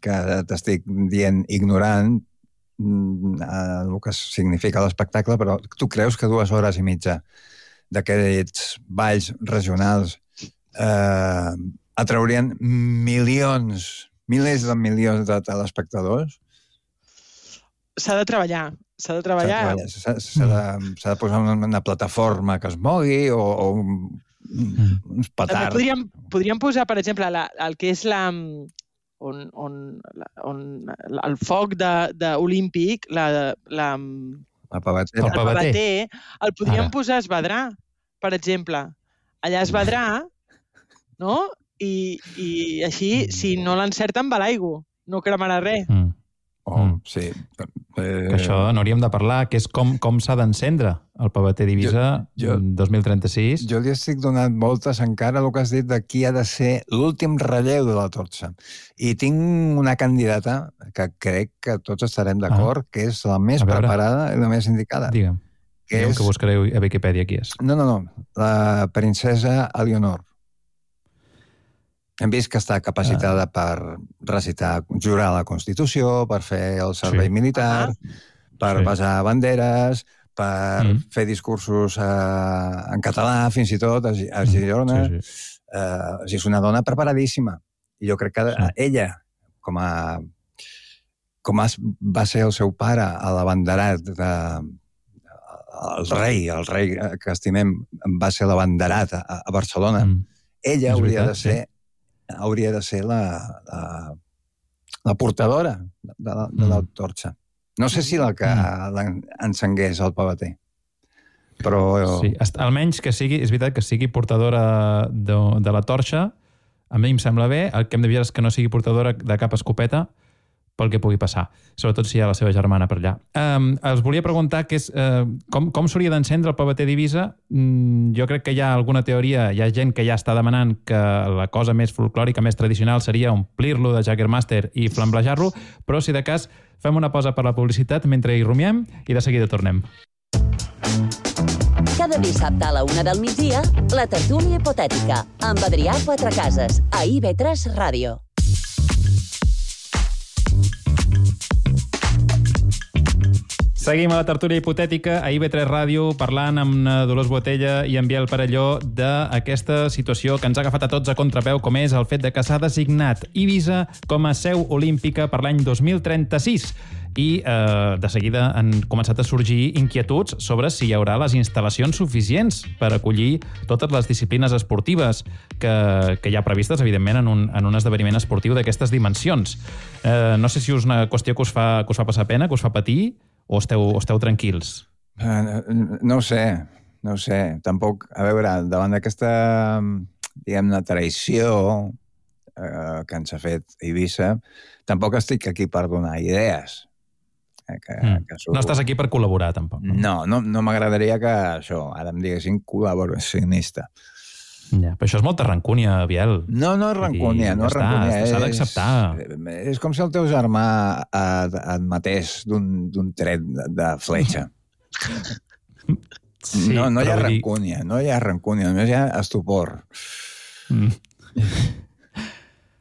que t'estic dient ignorant mm, eh, el que significa l'espectacle, però tu creus que dues hores i mitja d'aquests balls regionals eh, atraurien milions, milers de milions de telespectadors? S'ha de treballar. S'ha de treballar. S'ha s'ha de, s'ha de posar una, una plataforma que es mogui o, o un, uns També petards. podríem, podríem posar, per exemple, la, el que és la... On, on, la- on el foc de, de olímpic, la, la, La pavatera. El el pavater. pavater, el podríem Ara. posar a Esvedrà, per exemple. Allà a Esvedrà, no? i, i així, si no l'encerten, va l'aigua. No cremarà res. Mm. Oh, mm. sí. Eh... Que això n'hauríem de parlar, que és com, com s'ha d'encendre el Pavater d'Eivissa jo, jo, dos mil trenta-sis. Jo li estic donant voltes encara el que has dit de qui ha de ser l'últim relleu de la torxa. I tinc una candidata que crec que tots estarem d'acord, ah. que és la més preparada i la més indicada. Digue'm. Que Digue'm és... que buscareu a Wikipedia qui és. No, no, no. La princesa Eleonor. Hem vist que està capacitada ah. per recitar, jurar la Constitució, per fer el servei sí. militar, ah. per sí. basar banderes, per mm. fer discursos eh, en català, fins i tot, a, a Girona. Sí, sí. Eh, és una dona preparadíssima. I jo crec que sí. ella, com a com a, va ser el seu pare a l'abanderat de, el rei, el rei que estimem va ser l'abanderat a, a Barcelona, mm. ella és hauria veritat, de ser sí. hauria de ser la, la, la portadora de, de, de la torxa. No sé si la que mm. encengués el Pavater, però... Sí, almenys que sigui, és veritat que sigui portadora de, de la torxa, a mi em sembla bé, el que hem de veure és que no sigui portadora de cap escopeta, pel que pugui passar, sobretot si hi ha la seva germana per allà. Um, els volia preguntar que és, uh, com, com s'hauria d'encendre el Pavater d'Eivissa. Mm, jo crec que hi ha alguna teoria, hi ha gent que ja està demanant que la cosa més folclòrica, més tradicional, seria omplir-lo de Jägermeister i flamblejar-lo, però si de cas fem una pausa per la publicitat mentre hi rumiem i de seguida tornem. Cada dissabte a la una del migdia, la tertúlia hipotètica, amb Adrià Quatrecases, a I V tres Ràdio. Seguim a la tertúlia hipotètica a I V tres Ràdio parlant amb Dolors Botella i en Biel Parelló d'aquesta situació que ens ha agafat a tots a contrapeu, com és el fet de que s'ha designat Eivissa com a seu olímpica per l'any dos mil trenta-sis. I eh, de seguida han començat a sorgir inquietuds sobre si hi haurà les instal·lacions suficients per acollir totes les disciplines esportives que, que hi ha previstes, evidentment, en un, en un esdeveniment esportiu d'aquestes dimensions. Eh, no sé si és una qüestió que us fa, que us fa passar pena, que us fa patir, o esteu, o esteu tranquils? Uh, no ho sé, no ho sé. Tampoc, a veure, davant d'aquesta, diguem-ne, traïció uh, que ens ha fet Eivissa, tampoc estic aquí per donar idees. Que, mm. que surt... No estàs aquí per col·laborar, tampoc. No, no, no, no m'agradaria que això, ara em diguessin col·laboracionista. Ja, però això és molta rancúnia, Biel. No, no és rancúnia, no és rancúnia. S'ha d'acceptar. És, és com si el teu germà et matés d'un tret de, de fletxa. Sí, no, no hi ha rancúnia, no hi ha rancúnia, només hi ha estupor. Mm.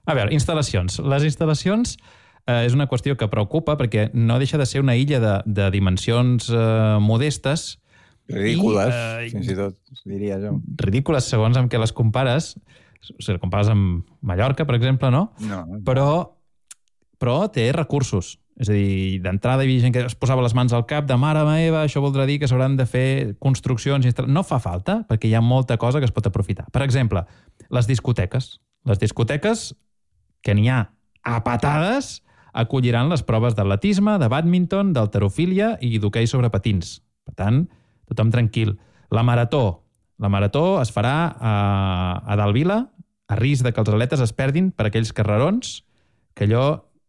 A veure, instal·lacions. Les instal·lacions eh, és una qüestió que preocupa perquè no deixa de ser una illa de, de dimensions eh, modestes. Ridícules, i, eh, fins i tot, diria jo. Ridícules segons amb què les compares. O sigui, compares amb Mallorca, per exemple, no? No. no. Però, però té recursos. És a dir, d'entrada hi havia gent que es posava les mans al cap de mare meva, això voldrà dir que s'hauran de fer construccions. No fa falta, perquè hi ha molta cosa que es pot aprofitar. Per exemple, les discoteques. Les discoteques, que n'hi ha a patades, acolliran les proves d'atletisme, de bàdminton, d'halterofília i d'hoquei sobre patins. Per tant, tothom tranquil. La marató. La marató es farà a, a Dalt Vila, a risc de que els atletes es perdin per aquells carrerons, que allò,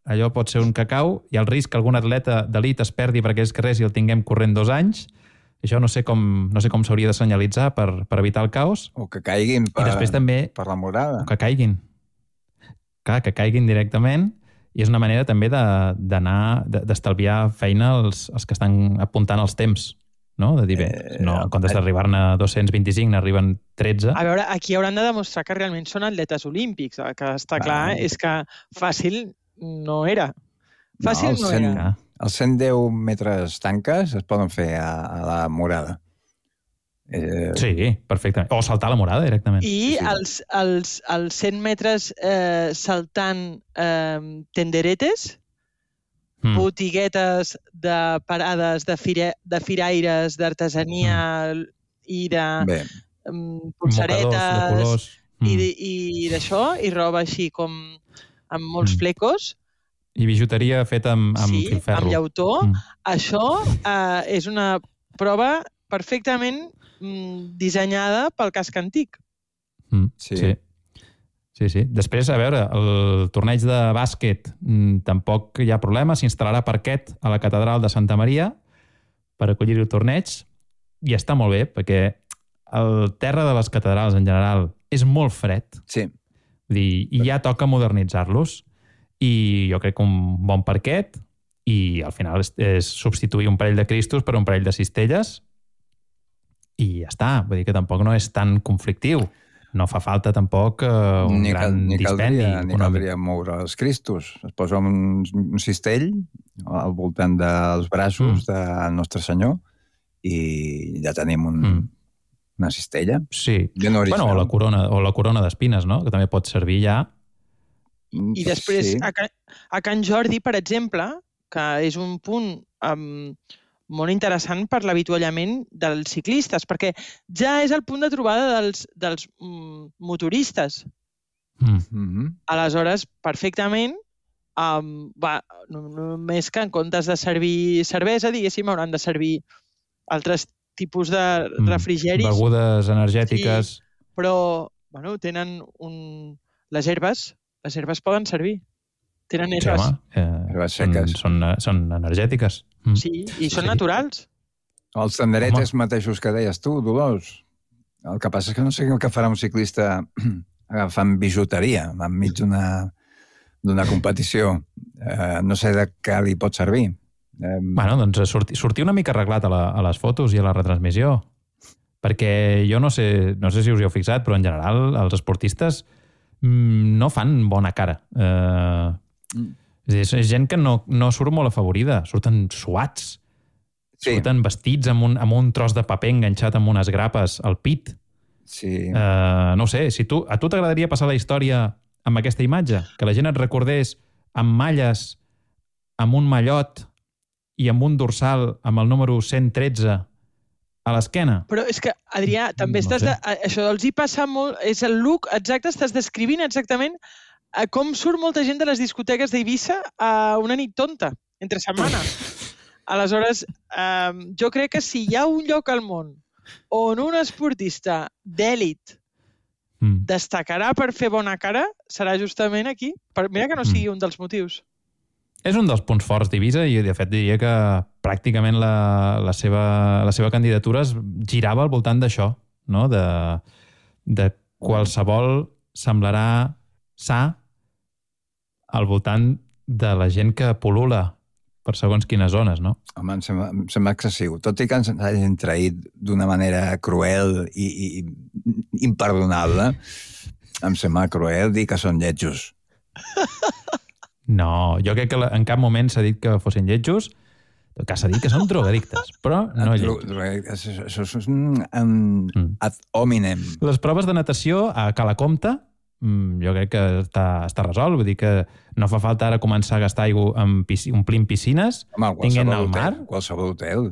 allò pot ser un cacau, i el risc que algun atleta d'elit es perdi per aquells carrers i el tinguem corrent dos anys. Això no sé com, no sé com s'hauria de senyalitzar per, per evitar el caos. O que caiguin per, també, per la morada. O que caiguin. Clar, que caiguin directament. I és una manera també d'anar, d'estalviar feina als, als que estan apuntant els temps. No? De dir, bé, no, en comptes d'arribar-ne dos-cents vint-i-cinc, n'arriben tretze. A veure, aquí hauran de demostrar que realment són atletes olímpics. El que està clar ah. és que fàcil no era. Fàcil no, no cent, era. Els cent deu metres tanques es poden fer a, a la morada. Eh... Sí, perfectament. O saltar a la morada directament. I sí. els, els, els cent metres eh, saltant eh, tenderetes, mm. botiguetes de parades de, fire, de firaires, d'artesania mm. i de um, pulseretes mm. i d'això, i roba així com amb molts mm. flecos. I bijuteria feta amb, amb sí, filferro. Amb llautó. Mm. Això eh, és una prova perfectament mm, dissenyada pel casc antic. Mm. Sí. sí. Sí, sí. Després, a veure, el torneig de bàsquet tampoc hi ha problema, s'instal·larà parquet a la catedral de Santa Maria per acollir el torneig, i està molt bé, perquè el terra de les catedrals en general és molt fred. Sí. Vull dir, i ja toca modernitzar-los. I jo crec que un bon parquet, i al final és, és substituir un parell de cristos per un parell de cistelles, i ja està. Vull dir que tampoc no és tan conflictiu. No fa falta tampoc uh, un ni gran ni dispendi. Caldria, ni caldria moure els cristos. Es posa un, un cistell al voltant dels braços mm. del Nostre Senyor i ja tenim un, mm. una cistella. Sí. Bueno, o la corona, o la corona d'espines, no? Que també pot servir ja. I després, sí. a, Can, a Can Jordi, per exemple, que és un punt um, molt interessant per l'avituallament dels ciclistes, perquè ja és el punt de trobada dels, dels mm, motoristes. Mm-hmm. Aleshores, perfectament, um, va, només que en comptes de servir cervesa, diguéssim, hauran de servir altres tipus de refrigeris. Begudes energètiques. Sí, però, bueno, tenen un... les herbes, les herbes poden servir. Tenen herbes. Sí, home, eh, herbes seques. Són, són, són energètiques. Mm. Sí, i són sí. naturals. Els tenderetes home. mateixos que deies tu, Dolors. El que passa és que no sé el que farà un ciclista agafant bijuteria enmig d'una d'una competició. Eh, no sé de què li pot servir. Eh, bueno, doncs sortir, sortir una mica arreglat a, la, a les fotos i a la retransmissió. Perquè jo no sé, no sé si us hi heu fixat, però en general els esportistes mm, no fan bona cara. Eh... Mm. És, és gent que no, no surt molt afavorida, surten suats, sí. surten vestits amb un, amb un tros de paper enganxat amb unes grapes al pit. Sí. Uh, no sé, si tu, a tu t'agradaria passar la història amb aquesta imatge? Que la gent et recordés amb malles, amb un mallot i amb un dorsal amb el número cent tretze a l'esquena? Però és que, Adrià, també no estàs... De, això els hi passa molt... És el look exacte, estàs descrivint exactament com surt molta gent de les discoteques d'Eivissa a una nit tonta, entre setmana. Aleshores, eh, jo crec que si hi ha un lloc al món on un esportista d'èlit mm. destacarà per fer bona cara, serà justament aquí. Per, mira que no sigui mm. un dels motius. És un dels punts forts d'Eivissa i, de fet, diria que pràcticament la, la, seva, la seva candidatura es girava al voltant d'això, no? De, de qualsevol semblarà sa al voltant de la gent que pol·lula per segons quines zones, no? Home, em sembla, em sembla excessiu. Tot i que ens hagin traït d'una manera cruel i, i imperdonable, em sembla cruel dir que són lletjos. No, jo crec que en cap moment s'ha dit que fossin lletjos, que s'ha dit que són drogadictes, però no lletjos. Això és un ad hominem. Les proves de natació a Calacomta jo crec que està, està resolt. Vull dir que no fa falta ara començar a gastar aigua amb pisc... omplint piscines, tinguent al mar. Qualsevol hotel.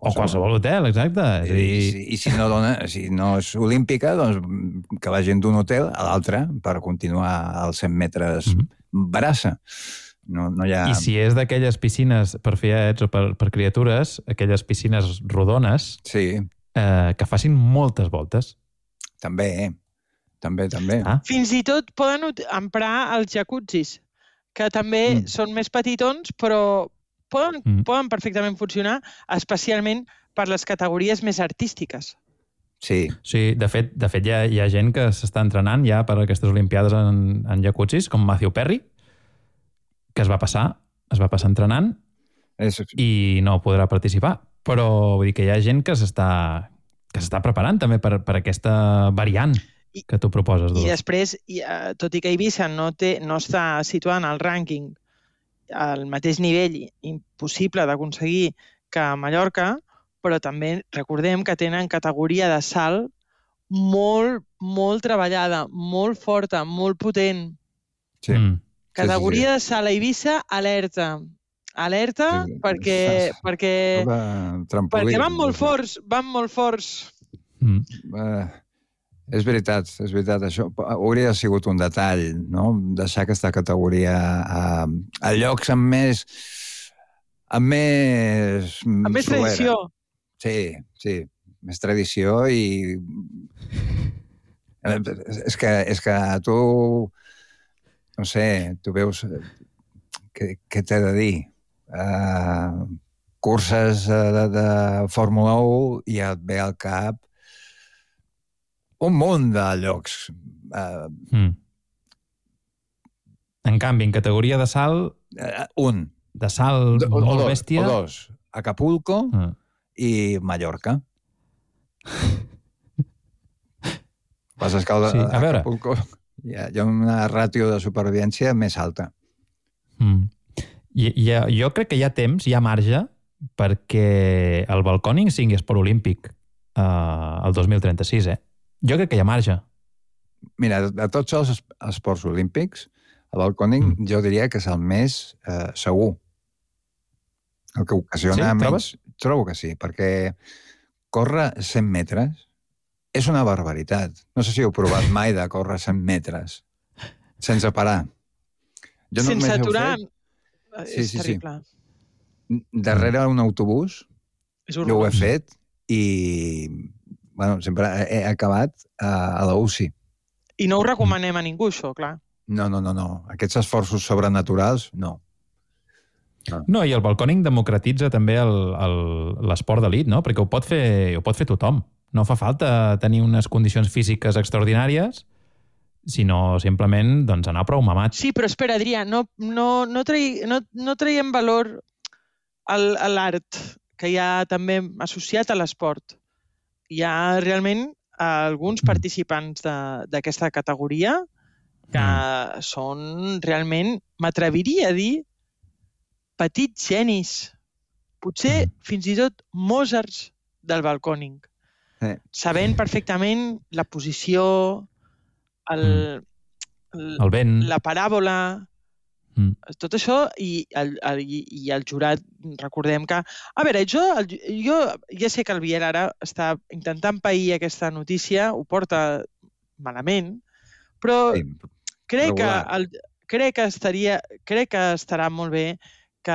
O qualsevol hotel, exacte. I, i, i, i si, no dona, si no és olímpica, doncs que vagin d'un hotel a l'altre per continuar als cent metres mm-hmm. barassa. No, no hi ha... I si és d'aquelles piscines per fiets o per, per criatures, aquelles piscines rodones, sí. eh, que facin moltes voltes. També, eh? També, també. Ah. Fins i tot poden emprar els jacuzzis, que també mm. són més petitons, però poden, mm. poden perfectament funcionar, especialment per les categories més artístiques. Sí. Sí, de fet, de fet hi, ha, hi ha gent que s'està entrenant ja per aquestes olimpiades en, en jacuzzis, com Matthew Perry, que es va passar, es va passar entrenant és... i no podrà participar. Però vull dir que hi ha gent que s'està que s'està preparant també per, per aquesta variant que tu proposes, Dolors. I després, tot i que Eivissa no, té, no està situant al rànquing al mateix nivell impossible d'aconseguir que a Mallorca, però també recordem que tenen categoria de salt molt, molt treballada, molt forta, molt potent. Sí. Mm. Categoria sí, sí, sí. de salt a Eivissa, alerta. Alerta sí, perquè, sí. perquè, perquè van molt forts, van molt forts. Mm. Uh... És veritat, és veritat. Això hauria sigut un detall, no? Deixar aquesta categoria a, a llocs amb més... amb més... amb més solera. Tradició. Sí, sí. Més tradició i... És que, és que tu, no sé, tu veus, què, què t'he de dir? Uh, curses de, de Fórmula u i et ve al cap un munt de llocs. Uh, mm. En canvi, en categoria de salt... Uh, un. De salt o, molt o dos, bèstia... O dos. Acapulco mm. i Mallorca. Passa que el, sí, a veure. Acapulco hi ha, hi ha una ràtio de supervivència més alta. Mm. I, i, jo crec que hi ha temps, hi ha marge, perquè el balcòning sigui esport olímpic uh, el dos mil trenta-sis, eh? Jo crec que hi ha marge. Mira, de tots els esports olímpics, el balcòning mm. jo diria que és el més eh, segur. El que ocasiona sí, menys... Trobo que sí, perquè córrer cent metres és una barbaritat. No sé si heu provat mai de córrer cent metres sense parar. Jo sense aturar fet... és sí, sí, terrible. Sí. Darrere un autobús jo ho he fet i bueno, sempre he acabat a, a la U C I. I no ho recomanem a ningú, això, clar. No, no, no, no. Aquests esforços sobrenaturals, no. No, no i el balcòning democratitza també l'esport d'elit, no? Perquè ho pot fer, ho pot fer tothom. No fa falta tenir unes condicions físiques extraordinàries, sinó simplement doncs, anar prou mamat. Sí, però espera, Adrià, no, no, no, trai, no, no traiem valor al, a l'art que hi ha també associat a l'esport. Hi ha realment alguns participants d'aquesta categoria que mm. són realment, m'atreviria a dir, petits genis. Potser mm. fins i tot Mozarts del balcòning. Eh. Sabent perfectament la posició, el, el, el vent, la paràbola, mm. tot això, i el, el, i el jurat, recordem que... A veure, jo, el, jo ja sé que el Biel ara està intentant pair aquesta notícia, ho porta malament, però sí, crec, que el, crec, que estaria, crec que estarà molt bé que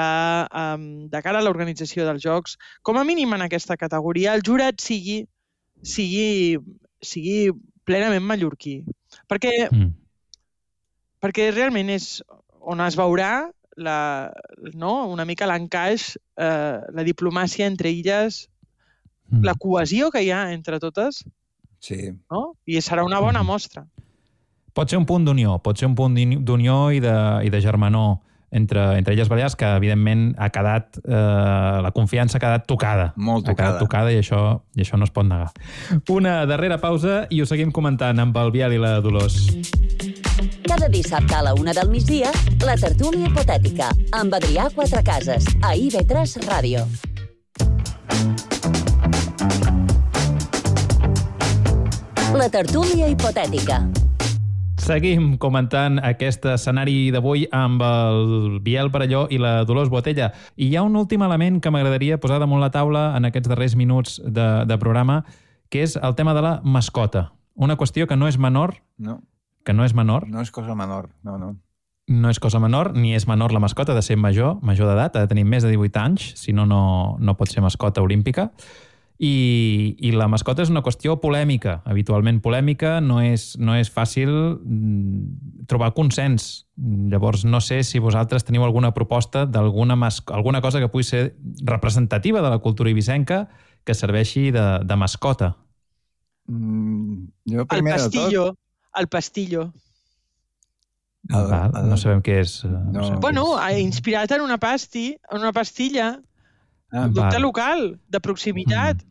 um, de cara a l'organització dels Jocs, com a mínim en aquesta categoria, el jurat sigui, sigui, sigui plenament mallorquí. Perquè, mm. perquè realment és on es veurà la, no? una mica l'encaix, eh, la diplomàcia entre illes, mm. la cohesió que hi ha entre totes, sí. no? I serà una bona mostra. Pot ser un punt d'unió, pot ser un punt d'unió i de, i de germanor entre, entre Illes Balears, que evidentment ha quedat, eh, la confiança ha quedat tocada. Molt tocada. Ha quedat tocada i això, i això no es pot negar. Una darrera pausa i ho seguim comentant amb el Biel i la Dolors. Cada dissabte a la una del migdia, la tertúlia hipotètica, amb Adrià Quatrecases, a I V tres Ràdio. La tertúlia hipotètica. Seguim comentant aquest escenari d'avui amb el Biel Perelló i la Dolors Botella. I hi ha un últim element que m'agradaria posar damunt la taula en aquests darrers minuts de, de programa, que és el tema de la mascota. Una qüestió que no és menor. No. Que no és menor. No és cosa menor, no, no. No és cosa menor, ni és menor la mascota, ha de ser major, major d'edat, ha de tenir més de divuit anys, si no, no, no pot ser mascota olímpica. I, i la mascota és una qüestió polèmica, habitualment polèmica, no és, no és fàcil trobar consens. Llavors, no sé si vosaltres teniu alguna proposta d'alguna alguna cosa que pugui ser representativa de la cultura ibisenca que serveixi de, de mascota. Mm, jo el pastillo, el pastillo. El, Val, el, no sabem què és. No. No sabem bueno, què és. Inspirat en una pasti, en una pastilla, ah, un producte local, de proximitat,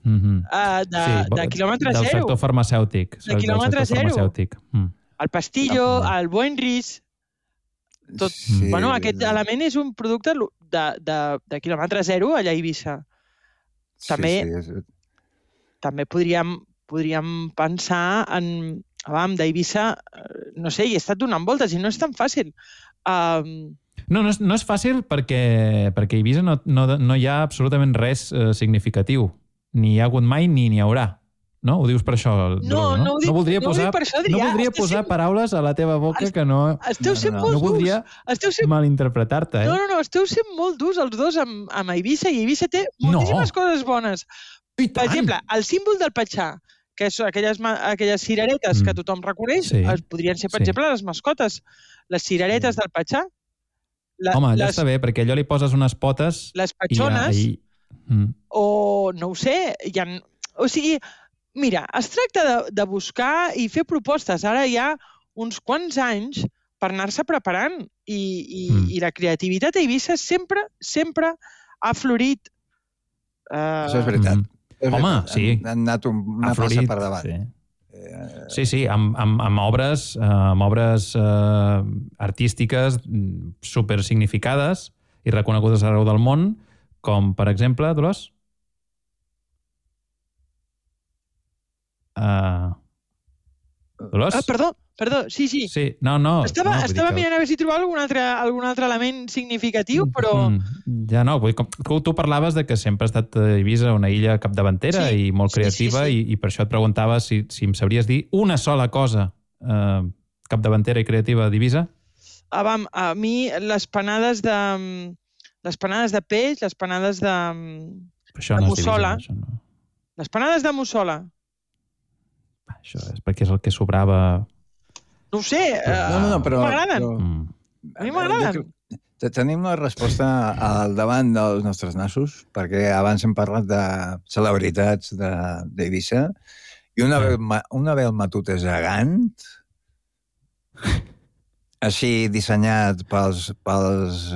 mm -hmm. uh, de, sí, de quilòmetre del zero. Del sector farmacèutic. De quilòmetre zero. Farmacèutic. Mm. El pastillo, el Buenris, tot. Sí, bueno, aquest element és un producte de, de, de quilòmetre zero allà a Eivissa. També, sí, sí, és... també podríem, podríem pensar en... Abans d'Eivissa, no sé, hi he estat donant voltes i no és tan fàcil. Um, No, no és, no és fàcil perquè, perquè a Eivissa no, no, no hi ha absolutament res eh, significatiu. Ni hi ha hagut mai ni n'hi haurà. No? Ho dius per això, Dolors, no? No, no, dic, no voldria no posar, per això, Adrià. No voldria posar sent... paraules a la teva boca Est... que no... Esteu sent no, molt no, no voldria sent... malinterpretar-te. Eh? No, no, no, esteu sent molt durs els dos amb, amb Eivissa i Eivissa té moltíssimes no. coses bones. I per exemple, el símbol del Patxà, que són aquelles, aquelles cireretes mm. que tothom reconeix, sí. podrien ser, per sí. exemple, les mascotes, les cireretes mm. del Patxà. La, Home, allò les, està bé, perquè allò li poses unes potes... Les patxones, i, i... Mm. o no ho sé, hi ha, o sigui, mira, es tracta de, de buscar i fer propostes. Ara hi ha uns quants anys per anar-se preparant i, i, mm. i la creativitat a Eivissa sempre, sempre ha florit. Uh... Això és veritat. Mm. És Home, veritat. sí. Han anat una passa per davant. Sí. Sí, sí, amb, amb, amb obres, amb obres eh, artístiques supersignificades i reconegudes arreu del món, com, per exemple, Dolors? Uh, Dolors? Ah, perdó, perdó, sí, sí. Sí, no, no. Estava, no, estava que... mirant a veure si trobava algun altre, algun altre element significatiu, però... Mm, ja no, vull dir, com, tu parlaves de que sempre ha estat Eivissa una illa capdavantera sí, i molt creativa sí, sí, sí. I, i per això et preguntava si, si em sabries dir una sola cosa eh, capdavantera i creativa d'Eivissa? Ah, vam, a mi les panades de... les panades de peix, les panades de, això de no mussola. És d'Eivissa, no. Les panades de mussola. Això és perquè és el que sobrava... No ho sé, uh, no, no, no, però, m'agraden. Però... A mi m'agraden. Tenim una resposta al davant dels nostres nassos, perquè abans hem parlat de celebritats d'Eivissa, i una veu, una veu matut és gegant, així dissenyat pels, pels,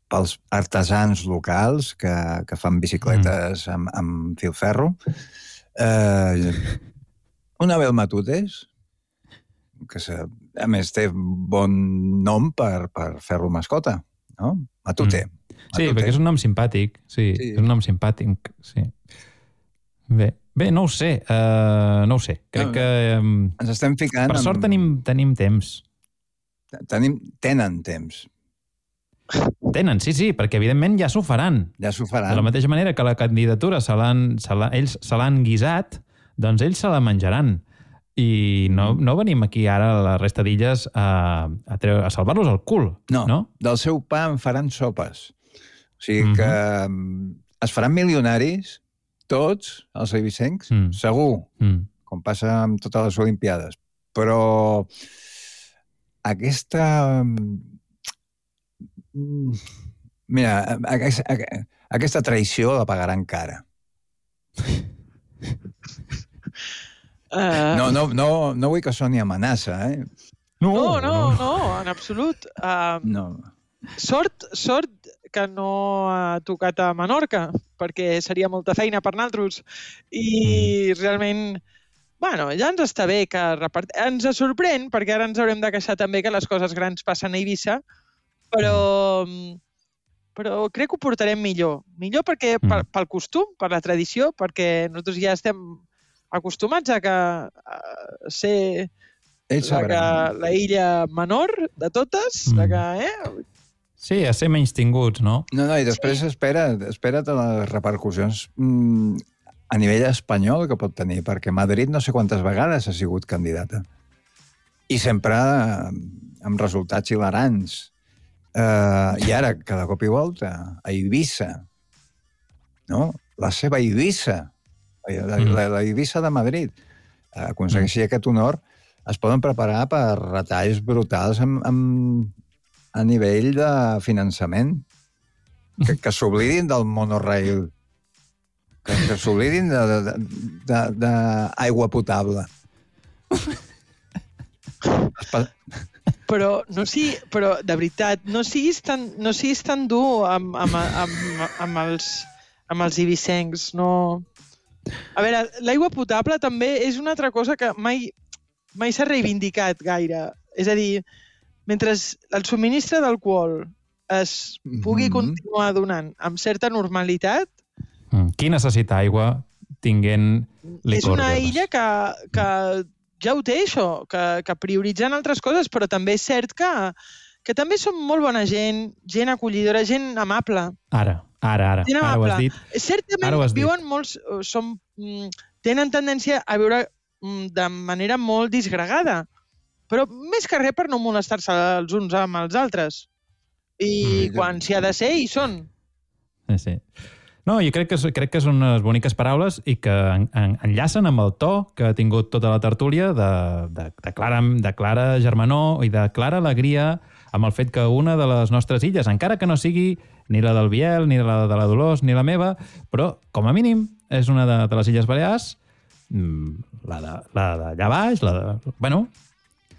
pels artesans locals que, que fan bicicletes amb, amb filferro. Eh, una veu matutes, que a més té bon nom per, per fer-lo mascota, no? Matute. Mm. Sí, Matute. Perquè és un nom simpàtic. Sí, sí, és un nom simpàtic. Sí. Bé, bé, no ho sé. Uh, no ho sé. Crec no, que... Um, ens estem ficant... Per sort amb... tenim, tenim temps. Tenim, tenen temps. Tenen, sí, sí, perquè evidentment ja s'ho faran. Ja s'ho faran. De la mateixa manera que la candidatura se l'han, se l'ha, ells se l'han guisat, doncs ells se la menjaran. I no, no venim aquí ara a la resta d'illes a, a, a salvar-los el cul. No, no, del seu pa en faran sopes. O sigui mm-hmm. que es faran milionaris, tots, els eivissencs, mm. segur, mm. com passa amb totes les Olimpiades. Però aquesta... Mira, aquesta, aquesta traïció la pagaran cara. Uh... No, no, no, no vull que soni amenaça, eh? No, no, no, no en absolut. Uh, no. Sort, sort que no ha tocat a Menorca, perquè seria molta feina per nosaltres. I realment, bueno, ja ens està bé que repart... ens sorprèn, perquè ara ens haurem de queixar també que les coses grans passen a Eivissa, però, però crec que ho portarem millor. Millor perquè pel, pel costum, per la tradició, perquè nosaltres ja estem acostumats a, que, a ser la, que, la illa menor de totes, mm. la que, eh? Sí, a ser menys tinguts, no? No, no, i després sí. espera, espera't a les repercussions mm, a nivell espanyol que pot tenir, perquè Madrid no sé quantes vegades ha sigut candidata. I sempre amb resultats hilarants. Uh, I ara, cada cop i volta, a Eivissa, no? La seva Eivissa, La, la, la Eivissa de Madrid aconsegueixi mm. aquest honor, es poden preparar per retalls brutals amb, amb, a nivell de finançament. Que, que s'oblidin del monorail, que, que s'oblidin d'aigua potable. Però, no sigui, però de veritat, no siguis tan, no siguis tan dur amb, amb, amb, amb els, amb els eivissencs, no... A veure, l'aigua potable també és una altra cosa que mai, mai s'ha reivindicat gaire. És a dir, mentre el subministre d'alcohol es pugui mm-hmm. continuar donant amb certa normalitat... Mm. Qui necessita aigua tinguent licor? És una illa que, que ja ho té, això, que, que prioritzen altres coses, però també és cert que, que també són molt bona gent, gent acollidora, gent amable. Ara... Ara, ara, ara ho has dit. Certament has viuen dit. molts... Som, tenen tendència a viure de manera molt disgregada, però més que res per no molestar-se els uns amb els altres. I mm, quan s'hi ha de ser, hi són. Sí, sí. No, jo crec que, crec que són unes boniques paraules i que en, en, enllacen amb el to que ha tingut tota la tertúlia de, de, de, Clara, de Clara Germanó i de clara alegria amb el fet que una de les nostres illes, encara que no sigui ni la del Biel, ni la de la Dolors, ni la meva, però, com a mínim, és una de, de les Illes Balears, la de, la d'allà baix, la de... Bueno...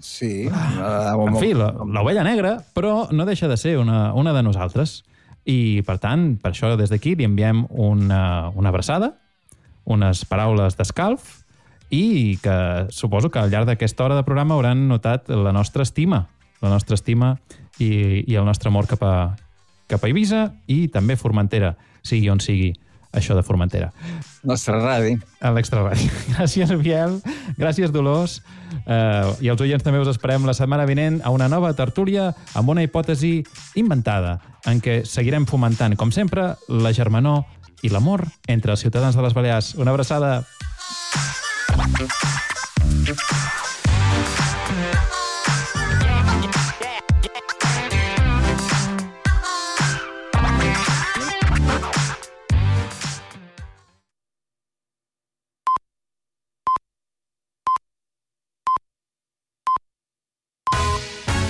Sí. La, en fi, l'ovella negra, però no deixa de ser una, una de nosaltres. I, per tant, per això des d'aquí li enviem una, una abraçada, unes paraules d'escalf i que suposo que al llarg d'aquesta hora de programa hauran notat la nostra estima, la nostra estima i, i el nostre amor cap a, cap a Eivissa i també Formentera, sigui on sigui això de Formentera. Nostra ràdio. A l'Extra Ràdio. Gràcies, Biel. Gràcies, Dolors. Uh, I els oients també us esperem la setmana vinent a una nova tertúlia amb una hipòtesi inventada en què seguirem fomentant, com sempre, la germanor i l'amor entre els ciutadans de les Balears. Una abraçada.